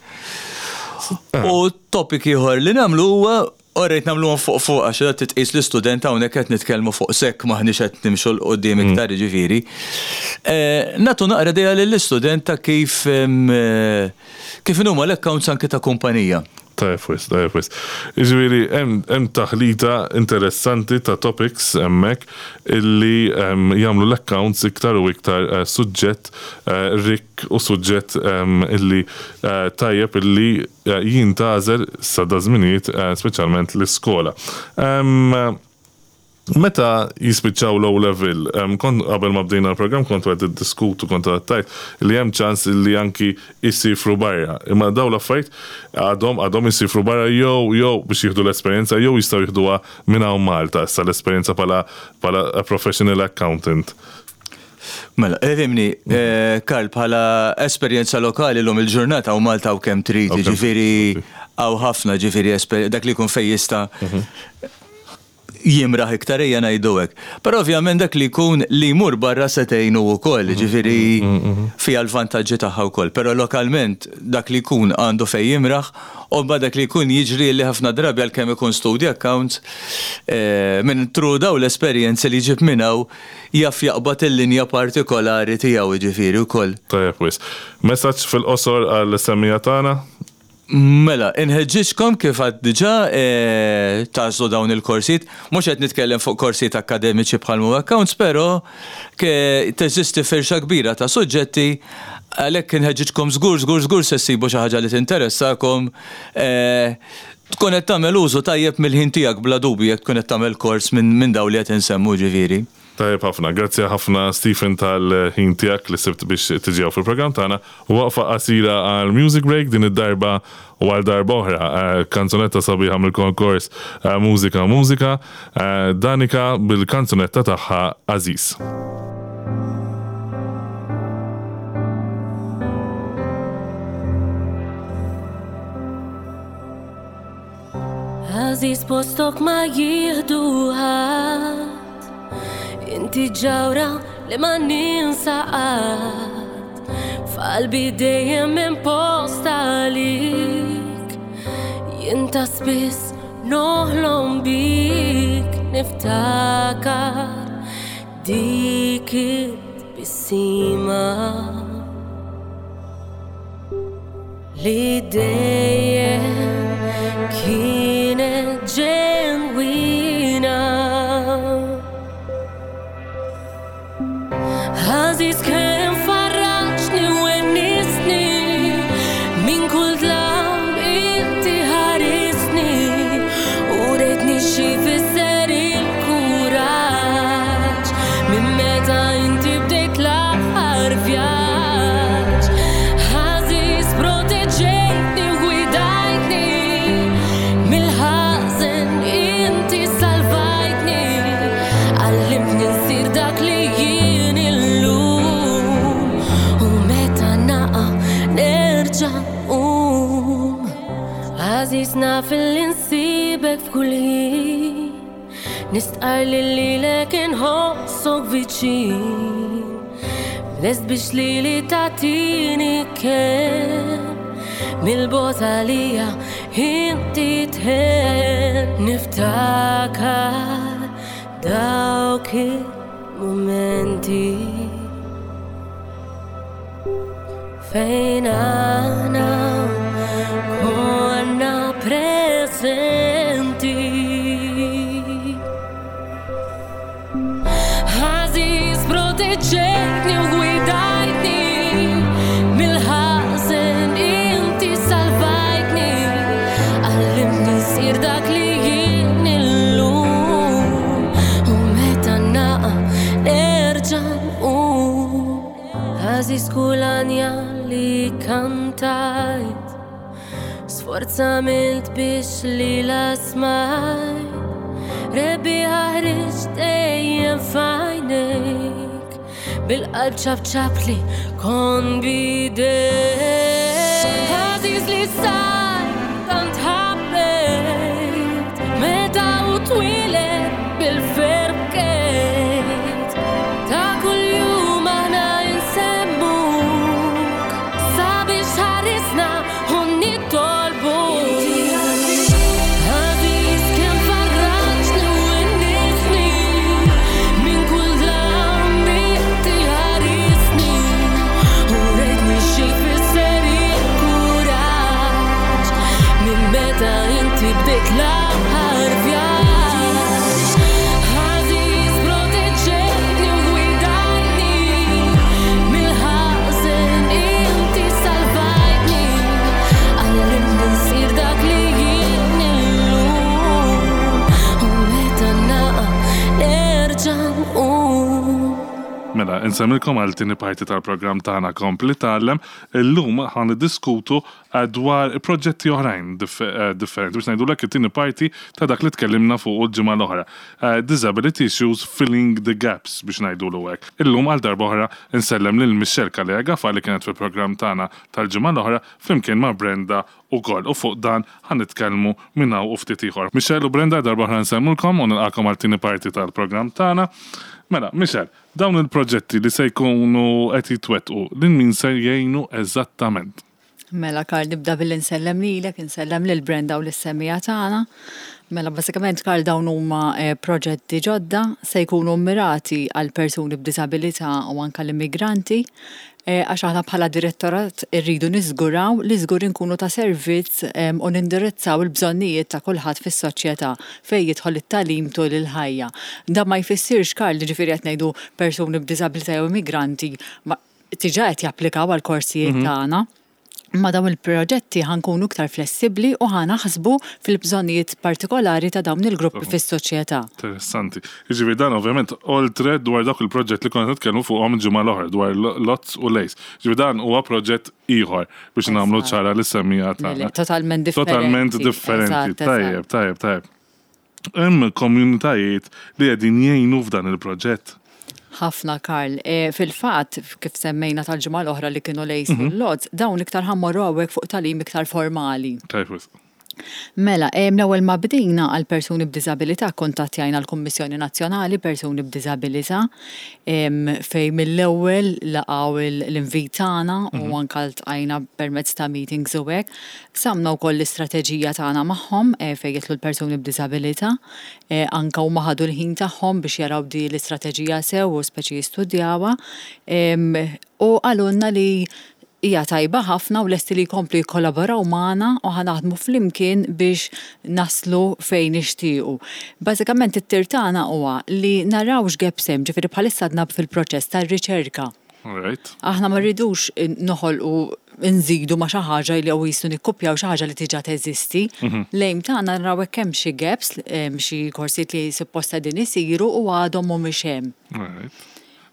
U topic ieħor li nagħmlu huwa Orrejt nagħmluhom fuq fuq għax qed titqis l-istudent hawnhekk qed nitkellmu fuq SEC m'aħniex qed nimxu 'l quddiem iktar jiġifieri. Nagħtu naqra idea lill-istudent ta' kif kif inhuma l-accounts anke ta' kumpanija. Tajjeb wisq, tajjeb wisq. Jiġifieri hemm taħlita interessanti ta' topics hemmhekk illi jagħmlu l-accounts iktar u iktar suġġett rikk u suġġett illi tajjeb illi jintgħażel sa da żminijiet speċjalment l-iskola. Meta jispiċċaw l-O level, kont qabel ma bdejna l-programm kontu qed tiddiskutu, kontu qed tgħid li hemm ċans li anki jsifru barra. Imma dawn l-affarijiet għadhom għadhom isifru barra jew jew biex jieħdu l-esperjenza jew jistgħu jieħduha minn hawn Malta issa l-esperjenza bħala bħala professional accountant. Mela, ifhimni, Karl, bħala esperjenza lokali llum il-ġurnata hawn Malta hawn kemm trid, jiġifieri hawn ħafna ġifieri dak li jkun fejn jista' jimraħ iktar ejja ngħidu hekk. Però ovvjament dak li jkun li jmur barra se tgħinu wkoll, jiġifieri fiha l-vantaġġi tagħha wkoll. Però lokalment dak li jkun għandu fejn jimraħ u mbagħad dak li jkun jiġri li ħafna drabi għalkemm ikun studja accounts, minn through dawn l-esperjenzi li jġib minn hawn jaf jaqbad il-linja partikolari tiegħu jiġifieri wkoll. Tajjeb wisq. Messaġġ fil-qosor għall-semmiegħa tagħna? Mela, inħeġġiġkom kif għedt diġà tagħżlu dawn il-korsijiet. Mhux qed nitkellem fuq korsijiet akkademiċi bħal mhu accounts, però teżisti firxa kbira ta' suġġetti għalhekk inħeġġiġkom żgur żgur żgur se ssibu xi ħaġa li tinteressakom. Tkun qed tagħmel użu tajjeb mill-ħin tiegħek bla dubju jekk tkun qed tagħmel kors minn dawn li qed insemmu ġifieri. Tajjeb ħafna. Grazzi ħafna Stephen tal-ħin tiegħek li sibt biex tiġi hawn fil-programm tagħna. Waqfa qasira għal music break din id-darba u għal darba oħra kanzunetta sabiħa mill-konkors Mużika Mużika, Danica bil-kanzunetta tagħha Għażiż. Għażiż postok ma jieħdu ħadd. Inti ġawra li ma ninsa qatt. F'qalbi dejjem hemm post għalik. Jien ta' spiss noħlom bik niftakar dik it-tbissima. Li dejjem kienet ġenwina. Għażiż kemm farraġni u wennisni minn kull dlam inti ħarisni u rejtni xi jfisser il-kuraġġ minn meta inti bdejt l-aħħar vjaġġ. Għażiż proteġejtni u gwidajtni mill-ħażen inti salvajtni għallimtni nsir dak li jien illum u meta naqa' nerġa' nqum. Għażiż naf li nsibek f'kull ħin. Nistqarr li lilek inħossok viċin. Lest biex lili tagħtini kenn. Mill-bogħod għalija inti tħenn. Niftakar dawk il-mumenti. Fejn aħna konna preżenti. Għażiż proteġejtni u gwidajtni mill-ħażen inti salvajtni għallimtni nsir dak li jien illum u meta naqa' nerġa' nqum. Għażiż kull għanja li kantajt Sforz għamilt biex lilha smajt Rebbieħa ħriġt dejjem f'għajnejk Bil-qalb ċapċapli kon b'idejk Għażiż li sar tant ħabbejt Meta u twieled bil-ferħ bkejt Ta' kuljum aħna insemmuk Sabiex ħarisna u nitolbuk Għażiż kemm farraġni u wennisni Minn kull dlam inti ħarisni U rejtni xi jfisser il-kuraġġ Minn meta inti bdejt l-aħħar vjaġġ. Għażiż proteġejtni u gwidajtni mill-ħażen inti salvajtni għallimtni nsir dak li jien illum u meta naqa' nerġa' nqum. Mela, Insemmilkom għal tieni parti tal-programm tagħna Kompli Tgħallem. Illum ħa niddiskutu dwar proġetti oħrajn differenti biex ngħidulek it-tieni parti ta' dak li tkellimna fuqu l-ġimgħa l-oħra. Disability issues filling the gaps biex ngħidulu hekk. Illum għal darba oħra nsellem lil Michelle Calleja Gafa li kienet fil-programm tagħna tal-ġimgħa l-oħra flimkien ma' Brenda ukoll u fuq dan ħa nitkellmu minn hawn u ftit ieħor. Michelle u Brenda darba oħra nsellmulkom u nilqagħkom għal tieni parti tal-programm tagħna. Mela, Michelle, dawn il-proġetti li se jkunu qed jitwettqu lil min se jgħinu eżattament? Mela, Karl, nibda billi nsellem lilek, insellem lil Brenda u lis-semmiegħa tagħna. Mela, bażikament, Karl, dawn huma proġetti ġodda se jkunu mmirati għal persuni b'diżabilità u anke l-immigranti, għax aħna bħala direttorat irridu niżguraw li żgur inkunu ta' servizz u nindirizzaw il-bżonnijiet ta' kulħadd fis-soċjetà fejn jidħol it-tagħlim tul il-ħajja. Dan ma jfissirx, Karl, jiġifieri qed ngħidu persuni b'diżabilità jew immigranti ma diġà qed japplikaw għall-korsijiet tagħna. Ma' dawn il-proġetti ħa nkunu iktar flessibbli u ħa naħsbu fil-bżonnijiet partikolari ta' dawn il-gruppi fis-soċjetà. Interessanti. Jiġifieri dan ovvjament oltre dwar dawk il-proġett li konna nitkellmu fuqhom il-ġimgħa l-oħra dwar l-LOTS u l-ACE. Jiġifieri dan huwa proġett ieħor biex nagħmlu ċara lis-semmiegħa tagħna. Totalment differenti. Totalment differenti. Tajjeb, tajjeb, tajjeb. Hemm komunitajiet li qegħdin jgħinu f'dan il-proġett? Ħafna, Karl. Fil-fatt, kif semmejna tal-ġimgħa l-oħra li kienu l-ACE u l-LOTS, dawn iktar ħa mmorru hawnhekk fuq tagħlim iktar formali. Tajjeb wisq. Mela, l-ewwel ma bdejna għal persuni b'diżabilità kkuntattjajna l-Kummissjoni Nazzjonali Persuni b'Diżabilità fejn mill-ewwel laqgħu l-invit tagħna u anke ltqajna permezz ta' meetings u hekk. Qsamna wkoll l-istrateġija tagħna magħhom fejn jidħlu l-persuni b'diżabilità. Anke huma ħadu l-ħin tagħhom biex jaraw di l-istrateġija sew u speċi jistudjawha. U qalulna li hija tajba ħafna u lesti li jkomplu jikkollaboraw magħna u ħa naħdmu flimkien biex naslu fejn nixtiequ. Bażikament it-tir tagħna huwa li naraw x'gaps hemm, ġifieri bħalissa għadna fil-proċess tar-riċerka. Aħna ma rridux noħolqu nżidu ma' xi ħaġa li jew qisu nikkupjaw xi ħaġa li diġà teżisti. L-aim tagħna naraw hekk hemm xi gaps, xi korsijiet li suppost qegħdin isiru u għadhom mhumiex hemm.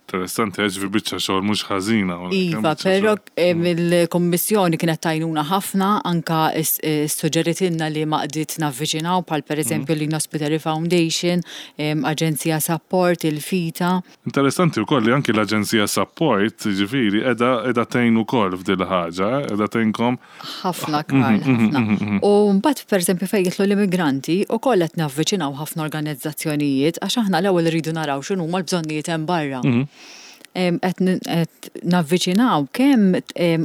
Interessanti, għax fi biċċa xogħol mhux ħażina. Iva, però il-Kummissjoni kienet t'għajnuna ħafna, anka ssuġġeritilna li għaqdiet navviċinaw bħal pereżempju l-Lino Spiteri Foundation, Aġenzija Sapport, il-FITA. Interessanti wkoll li anki l-Aġenzija Sapport, jiġifieri, qiegħda qiegħda tgħin ukoll f'dil ħaġa, eh, qiegħda tgħinkom. Ħafna Karl, ħafna. U mbagħad pereżempju fejn jidħlu l-immigranti, ukoll qed navviċinaw ħafna organizzazzjonijiet għax aħna l-ewwel irridu naraw x'inhuma l-bżonnijiet hemm barra. Qed navviċinaw kemm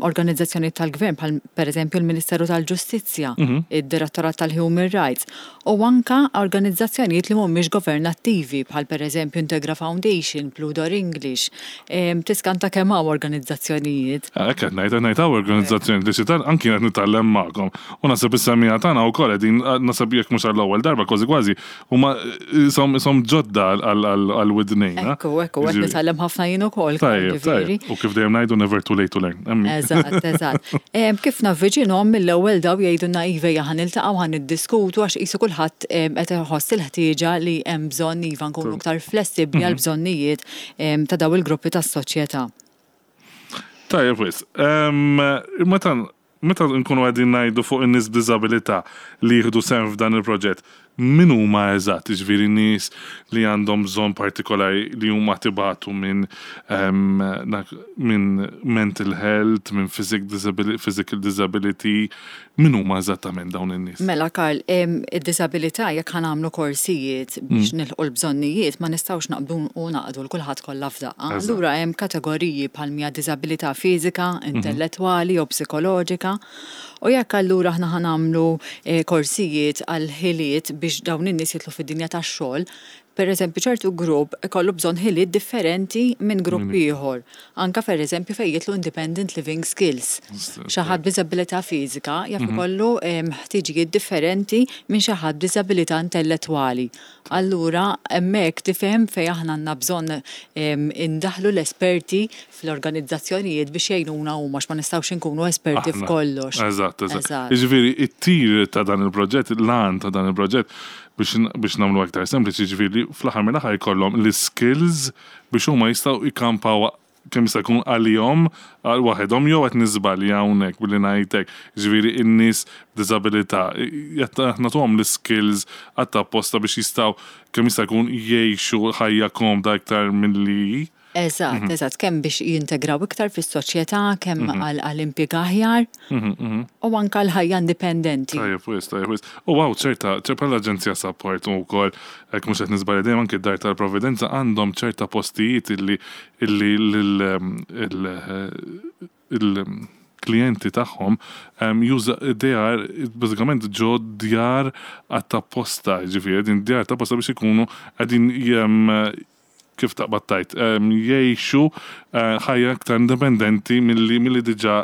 organizzazzjonijiet tal-gvern bħal pereżempju l-Ministeru tal-Ġustizzja, id-Direttorat tal-Human Rights, u anke organizzazzjonijiet li mhumiex governattivi bħal pereżempju Integra Foundation, Blue Door English. Tiskanta kemm hawn organizzazzjonijiet. Hekk qed ngħid, qed ngħid hawn organizzazzjonijiet li xi tant anki jien qed nitgħallem magħkom. U naħseb is-semmiegħa tagħna wkoll qegħdin naħseb jekk mhux għall-ewwel darba kważi kważi huma ishom ishom ġodda għal widnejna. Ekku, ekku, qed nitgħallem ħafna jien ukoll. Tajjeb, tajjeb. U kif dejjem ngħidu never too late to learn. Eżatt, eżatt. Kif navviċinhom mill-ewwel daw jgħidulna iva ejja ħa niltaqgħu ħa niddiskutu għax qisu kulħadd qed iħoss il-ħtieġa li hemm bżonn iva nkunu iktar flessibbli għall-bżonnijiet ta' daw il-gruppi tas-soċjetà. Tajjeb wisq. Meta meta nkunu qegħdin ngħidu fuq in-nies b'diżabilità li jieħdu sehem f'dan il-proġett, min huma eżatt? Jiġifieri nies li għandhom bżonn partikolari li huma tibatu minn minn mental health, minn physical disability, min huma eżattament dawn in-nies? Mela Karl, id-diżabilità jekk ħa nagħmlu korsijiet biex nilħqu l-bżonnijiet ma nistgħux naqbdu u naqdu 'l kulħadd kollha f'daqqa. Allura hemm kategoriji bħal mija diżabilità fiżika, intellettwali jew psikoloġika. U jekk allura aħna ħa nagħmlu korsijiet għal ħiliet biex dawn in-nies jidħlu fid-dinja tax-xogħol, pereżempju ċertu grupp ikollu bżonn ħiliet differenti minn grupp ieħor. Anke pereżempju fejn jidħlu independent living skills. Xi ħadd b'diżabilità fiżika jaf ikollu ħtiġijiet differenti minn xi ħadd b'diżabilità intellettwali. Allura hemmhekk tifhem fejn aħna għandna bżonn indaħħlu l-esperti fl-organizzazzjonijiet biex jgħinuna huma għax ma nistgħux inkunu esperti f'kollox. Eżatt, eżatt. Jiġifieri it-tir ta' dan il-proġett, l-għan ta' dan il-proġett biex nagħmlu aktar sempliċi, jiġifieri li fl-aħħar mill-aħħar jkollhom l-iskills biex huma jistgħu jkampaw. kemm jista' jkun għalihom għal waħedhom jew qed niżbalja hawnhekk billi ngħid hekk. Jiġifieri n-nies b'diżabilità qed nagħtuhom l-iskills għat-apposta biex jistgħu kemm jista' jkun jgħixu ħajja komda iktar milli hi. Eżatt, eżatt, kemm biex jintegraw iktar fis-soċjetà, kemm għal impjieg aħjar u anke għal ħajja indipendenti. Tajjeb wisq, tajjeb wisq. U hawn ċerta, bħala aġenzija Sapport u wkoll hekk mhux qed niżbalja dejjem anke d-Dar tal-Providenza għandhom ċerta postijiet illi illi l-klijenti tagħhom juża they are bażikament ġo djar għat-apposta, jiġifieri qegħdin djar t'apposta biex ikunu qegħdin kif taqbad tgħid, jgħixu ħajja iktar indipendenti milli milli diġà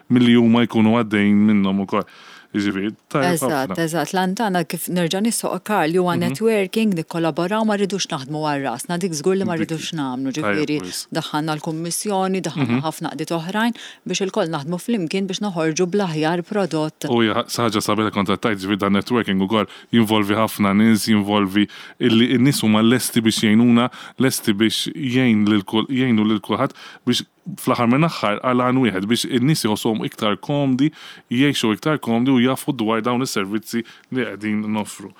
milli huma jkunu għaddejjin minnhom ukoll. Jiġifieri, tajjeb Eżatt, ħafna. eżatt. L-għan tagħna kif nerġa' nisħoq Karl li huwa networking, nikkollaboraw, ma rridux naħdmu għal rasna, dik żgur li ma Dik rridux nagħmlu, tajjeb ġifieri wisq. daħħalna l-kummissjoni, daħħalna ħafna għaqdiet oħrajn biex ilkoll naħdmu flimkien biex noħorġu bl-aħjar prodott. U hija ħaġa sabiħa kont qed tgħid, ġifieri dan networking ukoll jinvolvi ħafna nies, jinvolvi illi n-nies huma lesti biex jgħinuna, lesti biex jgħin lil jgħinu lil kulħadd biex fl-aħħar minn aħħar għal għan wieħed biex in-nies iħossuhom iktar komdi, jgħixu iktar komdi u jafu dwar dawn is-servizzi li qegħdin noffru.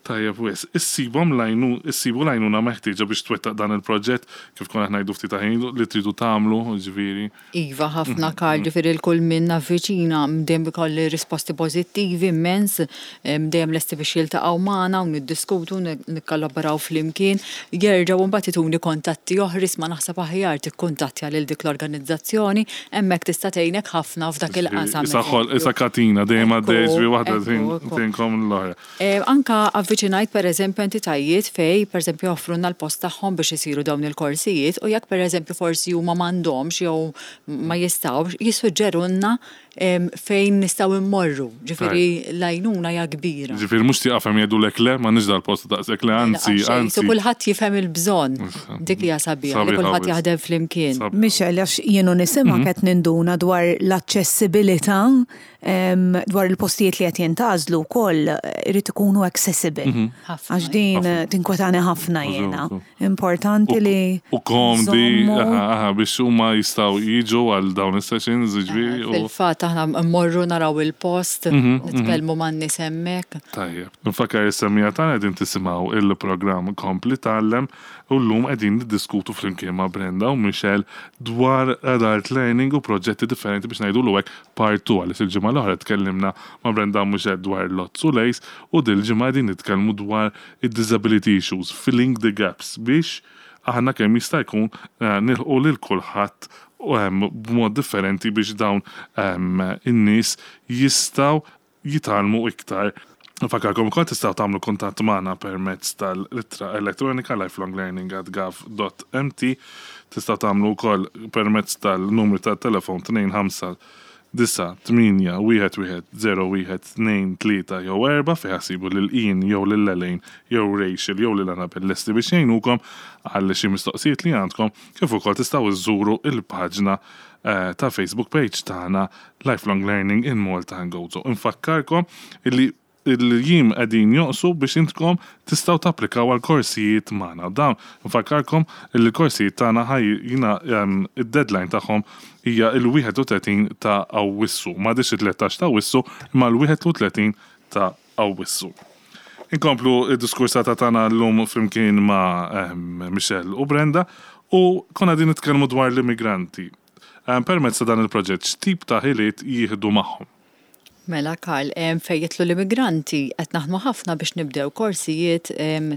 Tajjeb wisq. Issibhom l-għajnu, issibu l-għajnuna meħtieġa biex twettaq dan il-proġett, kif konna qed ngħidu ftit ta' ħin ilu, li tridu tagħmlu, jiġifieri. Iva ħafna Karl, ġifieri l-kull min navviċina dejjem ikolli risposti pożittivi immens, dejjem lesti biex jiltaqgħu magħna u niddiskutu, nikkollaboraw flimkien, jerġgħu mbagħad ituni kuntatti oħra isma' naħseb aħjar tikkuntattja lil dik l-organizzazzjoni, hemmhekk tista' tgħinek ħafna f'dak il-qasam. Isa ħol, isa katina dejjem għaddej, ġifieri waħda tgħinkom l-oħra. Anka avviċinajt pereżempju entitajiet fejn pereżempju joffrulna l-post tagħhom biex isiru dawn il-korsijiet u jekk pereżempju forsi huma m'għandhomx jew ma jistgħux, jissuġġerulna fejn nistgħu mmorru. Ġifieri l-għajnuna hija kbira. Ġifieri mhux tieqaf hemm jgħidulek le, m'għandniex dal-post daqshekk le, anzi, anzi. Qisu kulħadd jifhem il-bżonn. Dik hija sabiħa li kulħadd jaħdem flimkien. Michelle, għax jien u nisimgħek qed ninduna dwar l-aċċessibilità Dwar il-postijiet li qed jintgħażlu wkoll irid ikunu accessible. Mhm. Għax din tinkwetani ħafna jiena. Importanti li. U komdi biex huma jistgħu jiġu għal dawn is-sessions ġifieri. Fil-fatt aħna mmorru naraw il-post, mhm, mhm. nitkellmu man-nies hemmhekk. Tajjeb. Nfakkar is-semmiegħa tagħna qegħdin tisimgħu il-programm Kompli Tgħallem u llum qegħdin niddiskutu flimkien ma' Brenda u Michelle dwar adult learning u proġetti differenti biex ngħidulu hekk Part 2 għaliex il-ġimgħa l-oħra tkellimna ma' Brenda Muscat dwar Lotz u Lejs u dil-ġimgħa qegħdin nitkellmu dwar id-disability issues, filling the gaps biex aħna kemm jista' jkun nilħqu lil kulħadd b'mod differenti biex dawn in-nies jistgħu jitgħallmu iktar. Nfakkarkom ukoll tistgħu tagħmlu kuntatt magħna permezz tal-ittra elettronika lifelonglearning@gov.mt. Tistgħu tagħmlu wkoll permezz tal-numru tat-telefon 25 9 8 1 1 0 1 2 3 jew 4 fejn ħassibu lil Ian jew lil Elaine jew Rachel jew lil Annabelle lesti biex jgħinukom għal xi mistoqsijiet li għandkom kif ukoll tistgħu żżuru l-paġna ta' Facebook page tagħna Lifelong Learning in Malta and Gozo. Infakkarkom illi il-jiem qegħdin jonqsu biex intkom tistgħu tapplikaw għal korsijiet magħna. Dawn nfakkarkom illi l-korsijiet tagħna ħaj jina id-deadline tagħhom hija l-31 ta' Awwissu. M'għadhiex it-13 ta' Awwissu imma l-31 ta' Awwissu. Inkomplu d-diskursata tagħna llum flimkien ma' Michelle u Brenda u konna qegħdin nitkellmu dwar l-immigranti. Permezz ta' dan il-proġett x'tip ta' ħiliet jieħdu magħhom? Mela Karl, fejn jidħlu l-immigranti qed naħdmu ħafna biex nibdew korsijiet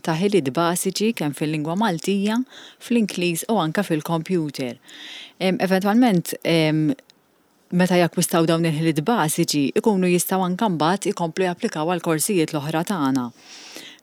ta' ħiliet bażiċi kemm fil-lingwa Maltija, fl-Ingliż u anke fil-kompjuter. Eventwalment meta jakkwistaw dawn il-ħiliet bażiċi, ikunu jistgħu anke mbagħad ikomplu japplikaw għall-korsijiet l-oħra tagħna.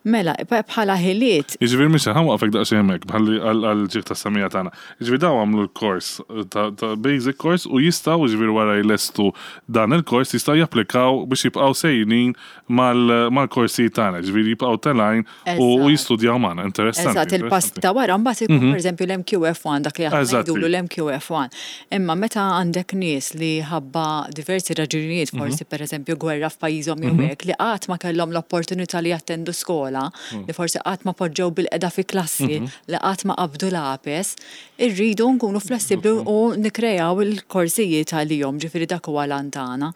Mela, bħala ħiliet. Jiġifieri Michelle, ħa nwaqqfek daqsxejn hemmhekk bħalli għall-ġieħ tas-semmiegħa tagħna. Jiġifieri dawn għamlu l-kors ta' basic course u jistgħu, jiġifieri wara jlestu dan il-kors jistgħu japplikaw biex jibqgħu sejrin mal-korsijiet tagħna, jiġifieri jibqgħu telgħin u jistudjaw magħna. Interessanti. Eżatt, il-pass ta' wara mbagħad ikun pereżempju l-MQF1 dak li aħna ngħidulu l-MQF1. Imma meta għandek nies li ħabba diversi raġunijiet, forsi pereżempju gwerra f'pajjiżhom jew hekk, li qatt ma kellhom l-opportunità li jattendu skola. l-iskola, li forsi qatt ma poġġew bilqiegħda fi klassi, li qatt ma qabdu lapes, irridu nkunu flessibbli u nikkrejaw il-korsijiet għalihom, ġifieri dak huwa l-għan tagħna.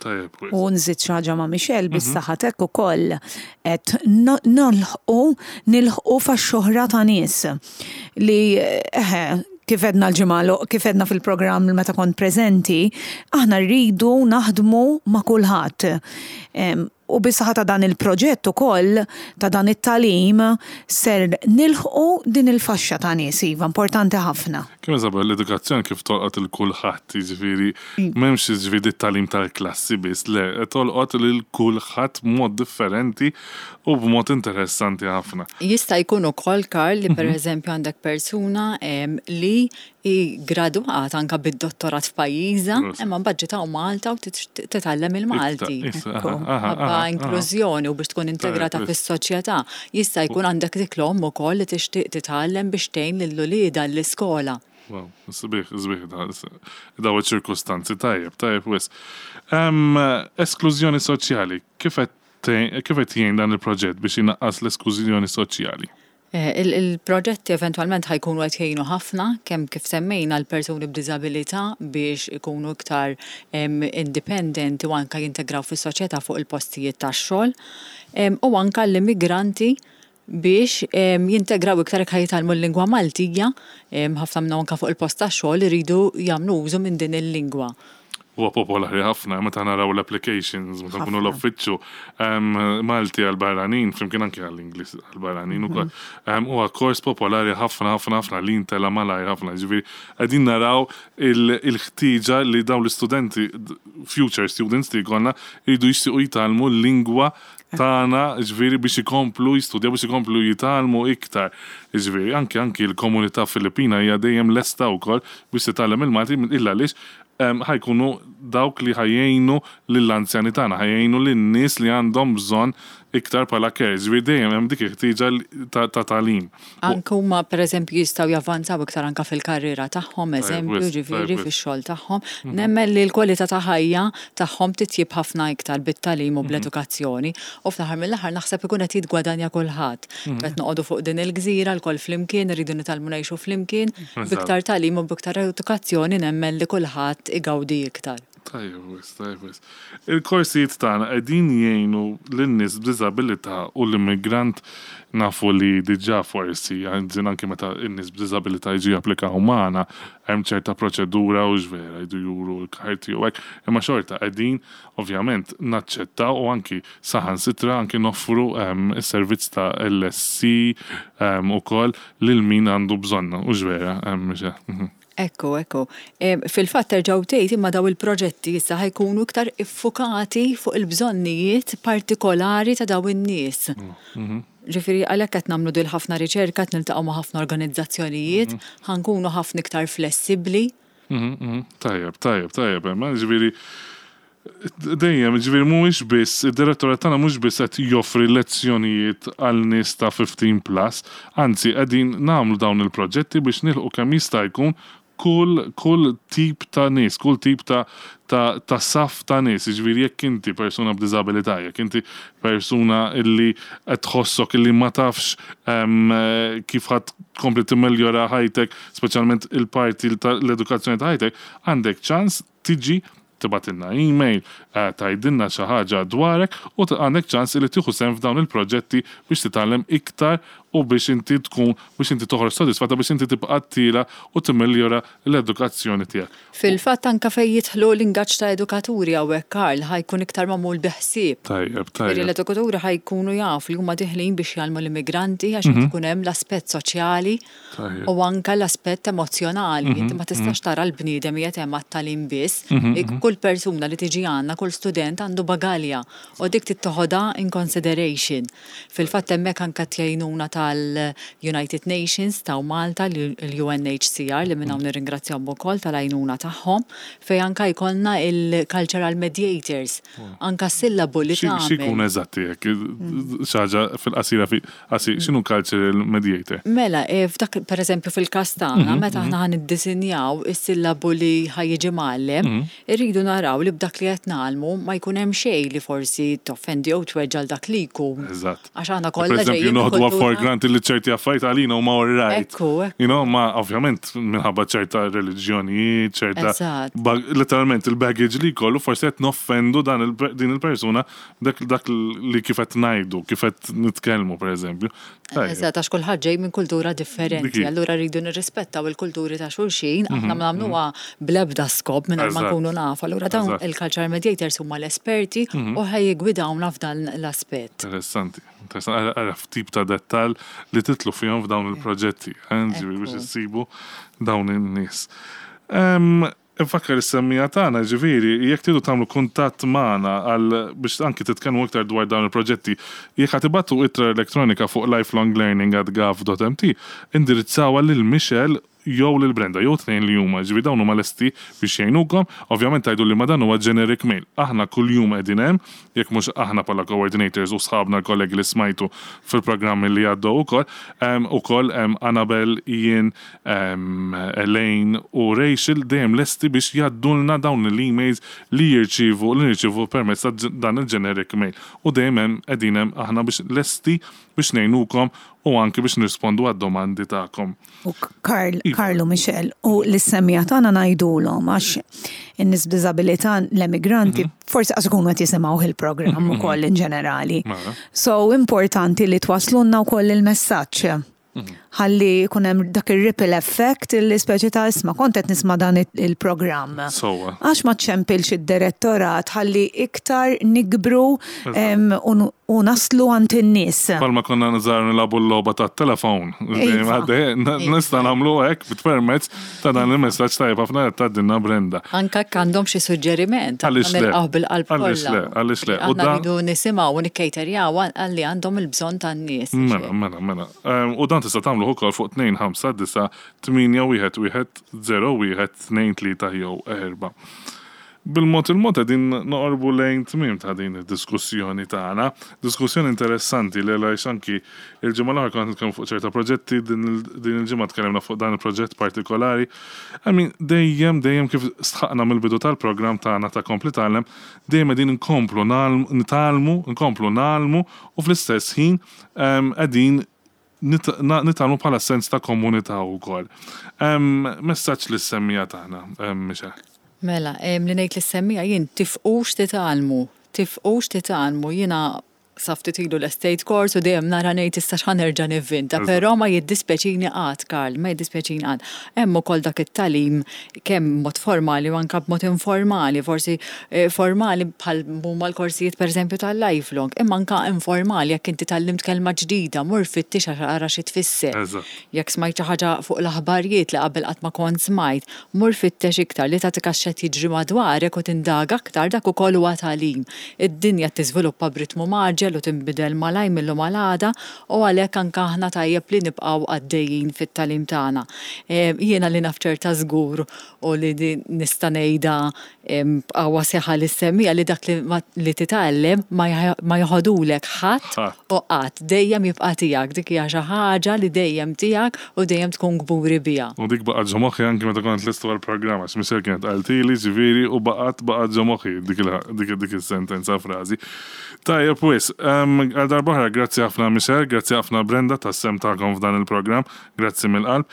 Tajjeb wisq. U nżid xi ħaġa ma' Michelle bis-saħħa t'hekk ukoll qed nolħqu nilħqu faxxa oħra ta' nies li eħe kif għedna l-ġimgħa l kif għedna fil-programm meta kont preżenti, aħna rridu naħdmu ma' kulħadd. U bis-saħħa ta' dan il-proġett ukoll, ta' dan it-tagħlim, ser nilħqu din il-faxxa ta' nies, iva, importanti ħafna. Kemm Isabel, l-edukazzjoni kif tolqot 'il kulħadd, jiġifieri m'hemmx jiġifieri t-tagħlim tal-klassi biss, le, tolqot lil kulħadd b'mod differenti u b'mod interessanti ħafna. Jista' jkun ukoll, Karl, li pereżempju għandek persuna li hi ggradwat anke bid-dottorat f'pajjiżha, imma mbagħad ġiet hawn Malta u titgħallem il-Malti. Ħabba inklużjoni u biex tkun integrata fis-soċjetà. Jista' jkun għandek dik l-omm ukoll li tixtieq titgħallem biex tgħin lil uliedha l-iskola. Wow, sbieħ, sbieħ daw iċ-ċirkustanzi, tajjeb, tajjeb wisq. Esklużjoni soċjali, kif qed jgħin dan il-proġett biex inaqqas l-esklużjoni soċjali? Il-proġetti eventwalment ħa jkunu qed jgħinu ħafna kemm kif semmejna l-persuni b'diżabilità biex ikunu iktar indipendenti u anke jintegraw fis-soċjetà fuq il-postijiet tax-xogħol u anke l-immigranti biex jintegraw iktar jekk ħa jitgħallmu l-lingwa Maltija, ħafna minnhom anke fuq il-post tax-xogħol iridu jagħmlu użu minn din il-lingwa. Huwa popolari ħafna meta naraw l-applications, meta nkunu l-uffiċċju Malti għal-barranin, flimkien anke għall-Ingliż għal-barranin ukoll. Huwa kors popolari ħafna ħafna ħafna li jintela malajr ħafna. Ġifieri qegħdin naraw il-ħtieġa li dawn l-istudenti, future students li jkollna, jridu jixtiequ jitgħallmu l-lingwa tagħna, ġifieri biex ikomplu jistudjaw, biex ikomplu jitgħallmu iktar. Ġifieri anke anke l-komunità Filippina hija dejjem lesta wkoll biex titgħallem il-Malti illa għaliex ħa jkunu dawk li ħa jgħinu lill-anzjani tagħna, ħa jgħinu lin-nies li għandhom bżonn iktar bħala care. Ġifieri dejjem hemm dik il-ħtieġa ta' tagħlim. Anke huma pereżempju jistgħu javvanzaw iktar anke fil-karriera tagħhom, eżempju, ġifieri fix-xogħol tagħhom. Nemmen li l-kwalità ta' ħajja tagħhom titjieb ħafna iktar bit-tagħlim u bl-edukazzjoni u fl-aħħar mill-aħħar naħseb ikun qed jiggwadanja kulħadd. Qed noqogħdu fuq din il-gżira lkoll flimkien, irridu nitgħallmu ngħixu flimkien, b'iktar tagħlim u b'iktar edukazzjoni nemmen li kulħadd igawdi iktar. Tajjeb wisq, tajjeb wisq. Il-korsijiet tagħna qegħdin jgħinu lin-nies b'diżabilità u l-immigrant nafu li diġà forsi, anzi anki meta n-nies b'diżabilità jiġu japplikaw magħna hemm ċerta proċedura hux vera, jridu juru l-karti u hekk, imma xorta qegħdin ovvjament naċċettaw u anki saħansitra anki noffru s-servizz ta' LSC ukoll lil min għandu bżonnha, hux vera, Michelle? Ekku, ekku. Fil-fatt terġa' u tgħid imma daw il-proġetti issa ħa jkunu iktar iffukati fuq il-bżonnijiet partikolari ta' daw in-nies. Ġifieri għalhekk qed nagħmlu dil ħafna riċerka, qed niltaqgħu ma' ħafna organizzazzjonijiet, ħa nkunu ħafna iktar flessibbli. Tajjeb, tajjeb, tajjeb, Emma, ġifieri dejjem, ġifieri mhuwiex biss, id-direttorat tagħna mhux biss qed joffri lezzjonijiet għal nies ta' 15 plus, anzi qegħdin nagħmlu dawn il-proġetti biex nilħqu kemm jista' jkun kull kull tip ta' nies, kull tip ta' ta' ta' saff ta' nies, jiġifieri jekk inti persuna b'diżabilità, jekk inti persuna illi qed tħossok illi ma tafx kif ħa tkompli timmeljora ħajtek, speċjalment il-parti ta' l-edukazzjoni ta' ħajtek, għandek ċans tiġi tibgħatilna email, tgħidilna xi ħaġa dwarek u għandek ċans illi tieħu sehem f'dawn il-proġetti biex titgħallem iktar u biex inti tkun biex inti toħroġ sodisfatta biex inti tibqa' tiela' u timmeljora l-edukazzjoni tiegħek. Fil-fatt anke fejn jidħlu l-ingaġġ ta' edukaturi hawnhekk Karl ħa jkun iktar magħmul bi ħsieb. Tajjeb, tajjeb. Jiġifieri l-edukaturi ħa jkunu jafu li huma diħlin biex jgħallmu l-immigranti għax qed ikun hemm l-aspett soċjali u anke l-aspett emozzjonali. Inti ma tistax tara l-bniedem qiegħed hemm għat-tagħlim biss. Kull persuna li tiġi għandna, kull student għandu bagalja u dik trid toħodha in consideration. Fil-fatt hemmhekk anke t-tgħinuna tal-United Nations taw Malta, l-UNHCR li minn hawn nirringrazzjahom ukoll tal-għajnuna tagħhom, fejn anke jkollna il-cultural mediators, anke s-sillabu li tagħmel. Xi jkun eżatti hekk? Xi ħaġa fil-qasira fi qasir, x'inhu cultural mediator? Mela, f'dak pereżempju fil-każ tagħna, meta aħna ħa niddisinjaw is-sillabu li ħa jiġi mgħallem, irridu naraw li b'dak li qed ngħallmu, nitgħallmu ma jkun hemm xejn li forsi toffendi jew tweġġa' 'l dak li jkun. Eżatt. Għax aħna kollha Per eżempju, ġejjin minn noħduha for kultura- granted li ċerti affarijiet għalina huma all right. Ekku, ekku. You know, ma ovvjament minħabba ċerta reliġjonijiet, ċerta. Eżatt. Letteralment il-baggage li jkollu forsi qed noffendu dan il din il-persuna dak dak li kif qed ngħidu, kif qed nitkellmu pereżempju. Tajjeb. Eżatt, għax kulħadd ġej minn kultura Dik differenti, hi. allura rridu nirrispettaw il-kulturi ta' xulxin, aħna ma nagħmluha bl-ebda skop mingħajr ma Eżatt. nkunu nafu. Allura dawn Eżatt. il-culture mediators huma l-esperti u ħa jiggwidawna f'dan l-aspett. Interessanti. Interessanti. Ara tip ta' dettal li titlu fihom f'dawn il-proġetti, ġifieri biex issibu dawn in-nies. Infakkar is-semmiegħa tagħna, ġifieri, jekk tridu tagħmlu kuntatt magħna għal biex anki titkellmu iktar dwar dawn il-proġetti, jekk ħa tibgħatu ittra elettronika fuq lifelonglearning@gov.mt, indirizzawha lil Michelle jew lil Brenda, jew tnejn li huma, ġifieri dawn huma lesti biex jgħinukom. Ovvjament tgħidu li ma dan huwa generic mail. Aħna kuljum qegħdin hemm, jekk mhux aħna bħala coordinators u sħabna l-kollegi li smajtu fil-programmi li għaddew ukoll, hemm ukoll hemm Annabel, Ian, Elaine u Rachel dejjem lesti biex jgħaddulna dawn l-emails li jirċievu li nirċievu permezz ta' dan il-generic mail. U dejjem hemm qegħdin hemm aħna biex lesti biex ngħinukom u anki biex nirrispondu għad-domandi tagħkom. U Karl, Iva. Karlu Michel, u l-semmiegħa tagħna ngħidulhom għax in-nies b'diżabilità l-emigranti forsi qas ikunu qed jisimgħu il-programm ukoll in ġenerali. Mela. So importanti li twaslunna wkoll il-messaġġ. Ħalli jkun hemm dak ir-ripple effect li speċi ta' isma' kont qed nisma' dan il-programm. Sewwa. Għax ma ċempilx id-direttorat ħalli iktar nikbru u naslu għand in-nies. Palma konna nżar nilagħbu l-logħba tat-telefon. Iva. Nista' nagħmlu hekk permezz ta' dan il-messaġġ tajjeb ħafna qed tgħaddilna Brenda. Anka jekk għandhom xi suġġeriment, aħna Għaliex le? nilqgħu bil-qalb Għaliex kollha. le? Għaliex le? U Aħna dan- rridu nisimgħu u nikkejterjaw għalli għandhom il-bżonn tan-nies. Mela, mela, mela. U dan tista' tagħmlu ukoll fuq 2 5 9 8 1 1 0 1 2 3 jew 4. Bil-mod il-mod qegħdin noqorbu lejn tmiem ta' din id-diskussjoni tagħna. Diskussjoni interessanti li għaliex anki il-ġimgħa l-oħra konna nitkellmu fuq ċerta proġetti, din il-ġimgħa tkellimna fuq dan il-proġett partikolari. I mean, dejjem, dejjem kif stħaqna mill-bidu tal-programm tagħna ta' Kompli Tgħallem, dejjem qegħdin nkomplu nitgħallmu, nkomplu ngħallmu u fl-istess ħin qegħdin nitgħallmu bħala sens ta' komunità wkoll. Messaġġ lis-semmiegħa tagħna, Michelle. Mela, li ngħid lis-semmiegħa jien tifqux titgħallmu, tifqux titgħallmu, jiena sa ftit ilu l-estate course u dejjem nara ngħid issa x'ħa nerġa' nivvinta, però ma jiddispjaċini qatt, Karl, ma jiddispjaċini qatt. Hemm ukoll dak it-tagħlim kemm b'mod formali u anke b'mod informali, forsi formali bħal huma l-korsijiet pereżempju tal-lifelong, imma anke informali jekk inti tgħallimt kelma ġdida, mur fittix ara xi tfisser. Jekk smajt xi ħaġa fuq l-aħbarijiet li qabel qatt ma kont smajt, mur fittex iktar li tagħtik għax x'qed jiġri madwarek u tindaga aktar dak ukoll huwa tagħlim. Id-dinja tiżviluppa b'ritmu mgħaġġel u tinbidel malajr mill-lum għal għada u għalhekk anke aħna tajjeb li nibqgħu għaddejjin fit-tagħlim tagħna. Jiena li naf ċerta żgur u li nista' ngħidha b'qawwa seħħa li semmija li dak li titgħallem ma joħodulek ħadd u qatt, dejjem jibqa' tiegħek, dik hija xi ħaġa li dejjem tiegħek u dejjem tkun kburi biha. U dik baqgħet ġo moħħi anki meta kont lestu għall-programm għax Michelle kienet qaltili ġifieri u baqgħet baqgħet ġo moħħi dik is-sentenza frażi. Tajjeb wis, għal darb'oħra grazzi ħafna Michelle, grazzi ħafna Brenda tas-sehem tagħkom f'dan il-programm, grazzi mill-qalb.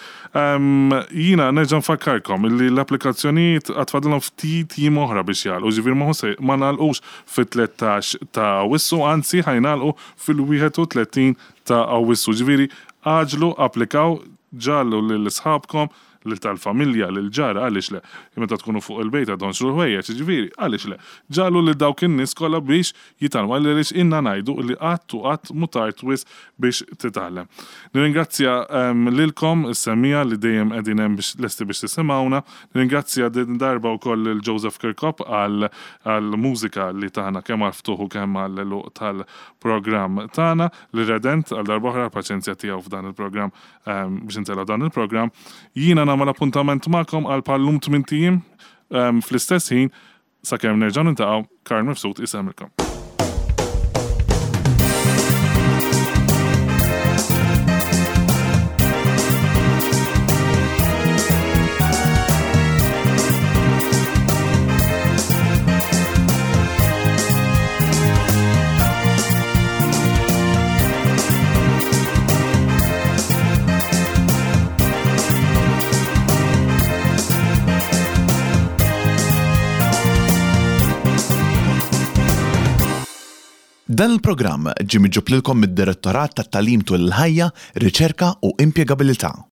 Jiena nerġa' nfakkarkom illi l-applikazzjonijiet għad fadlilhom ftit jiem oħra biex jagħlqu, ġifieri ma se ma nagħlqux fit-13 ta' Awwissu, anzi ħajnagħlqu fil-31 ta' Awwissu. Ġifieri għaġlu, applikaw, ġallu lil sħabkom, lil tal-familja, lil ġara, għaliex le. Meta tkunu fuq il-bejta donxru l-ħwejjeġ, ġifieri, għaliex le. Ġallu lil dawk in-nies kollha biex jitgħallmu, għaliex inna ngħidu li qatt u qatt mhu tard wisq biex titgħallem. Nirringrazzja lilkom is-semmiegħa li dejjem qegħdin hemm biex lesti biex tisimgħuna. Nirringrazzja din darba wkoll lil Joseph Kirkop għal mużika li tagħna kemm għal ftuħ u kemm għal għeluq tal-programm tagħna, li Redent għal darba oħra l-paċenzja tiegħu f'dan il-programm biex intellgħu dan il-programm. Jiena nagħmel appuntament magħkom għal pallum 8 ijiem fl-istess ħin sakemm nerġgħu niltaqgħu. Karl Mifsud isemmilkom. Dan il-programm ġie miġjub lilkom mid-Direttorat tat-Tagħlim Tul il-Ħajja, Riċerka u Impjegabilità.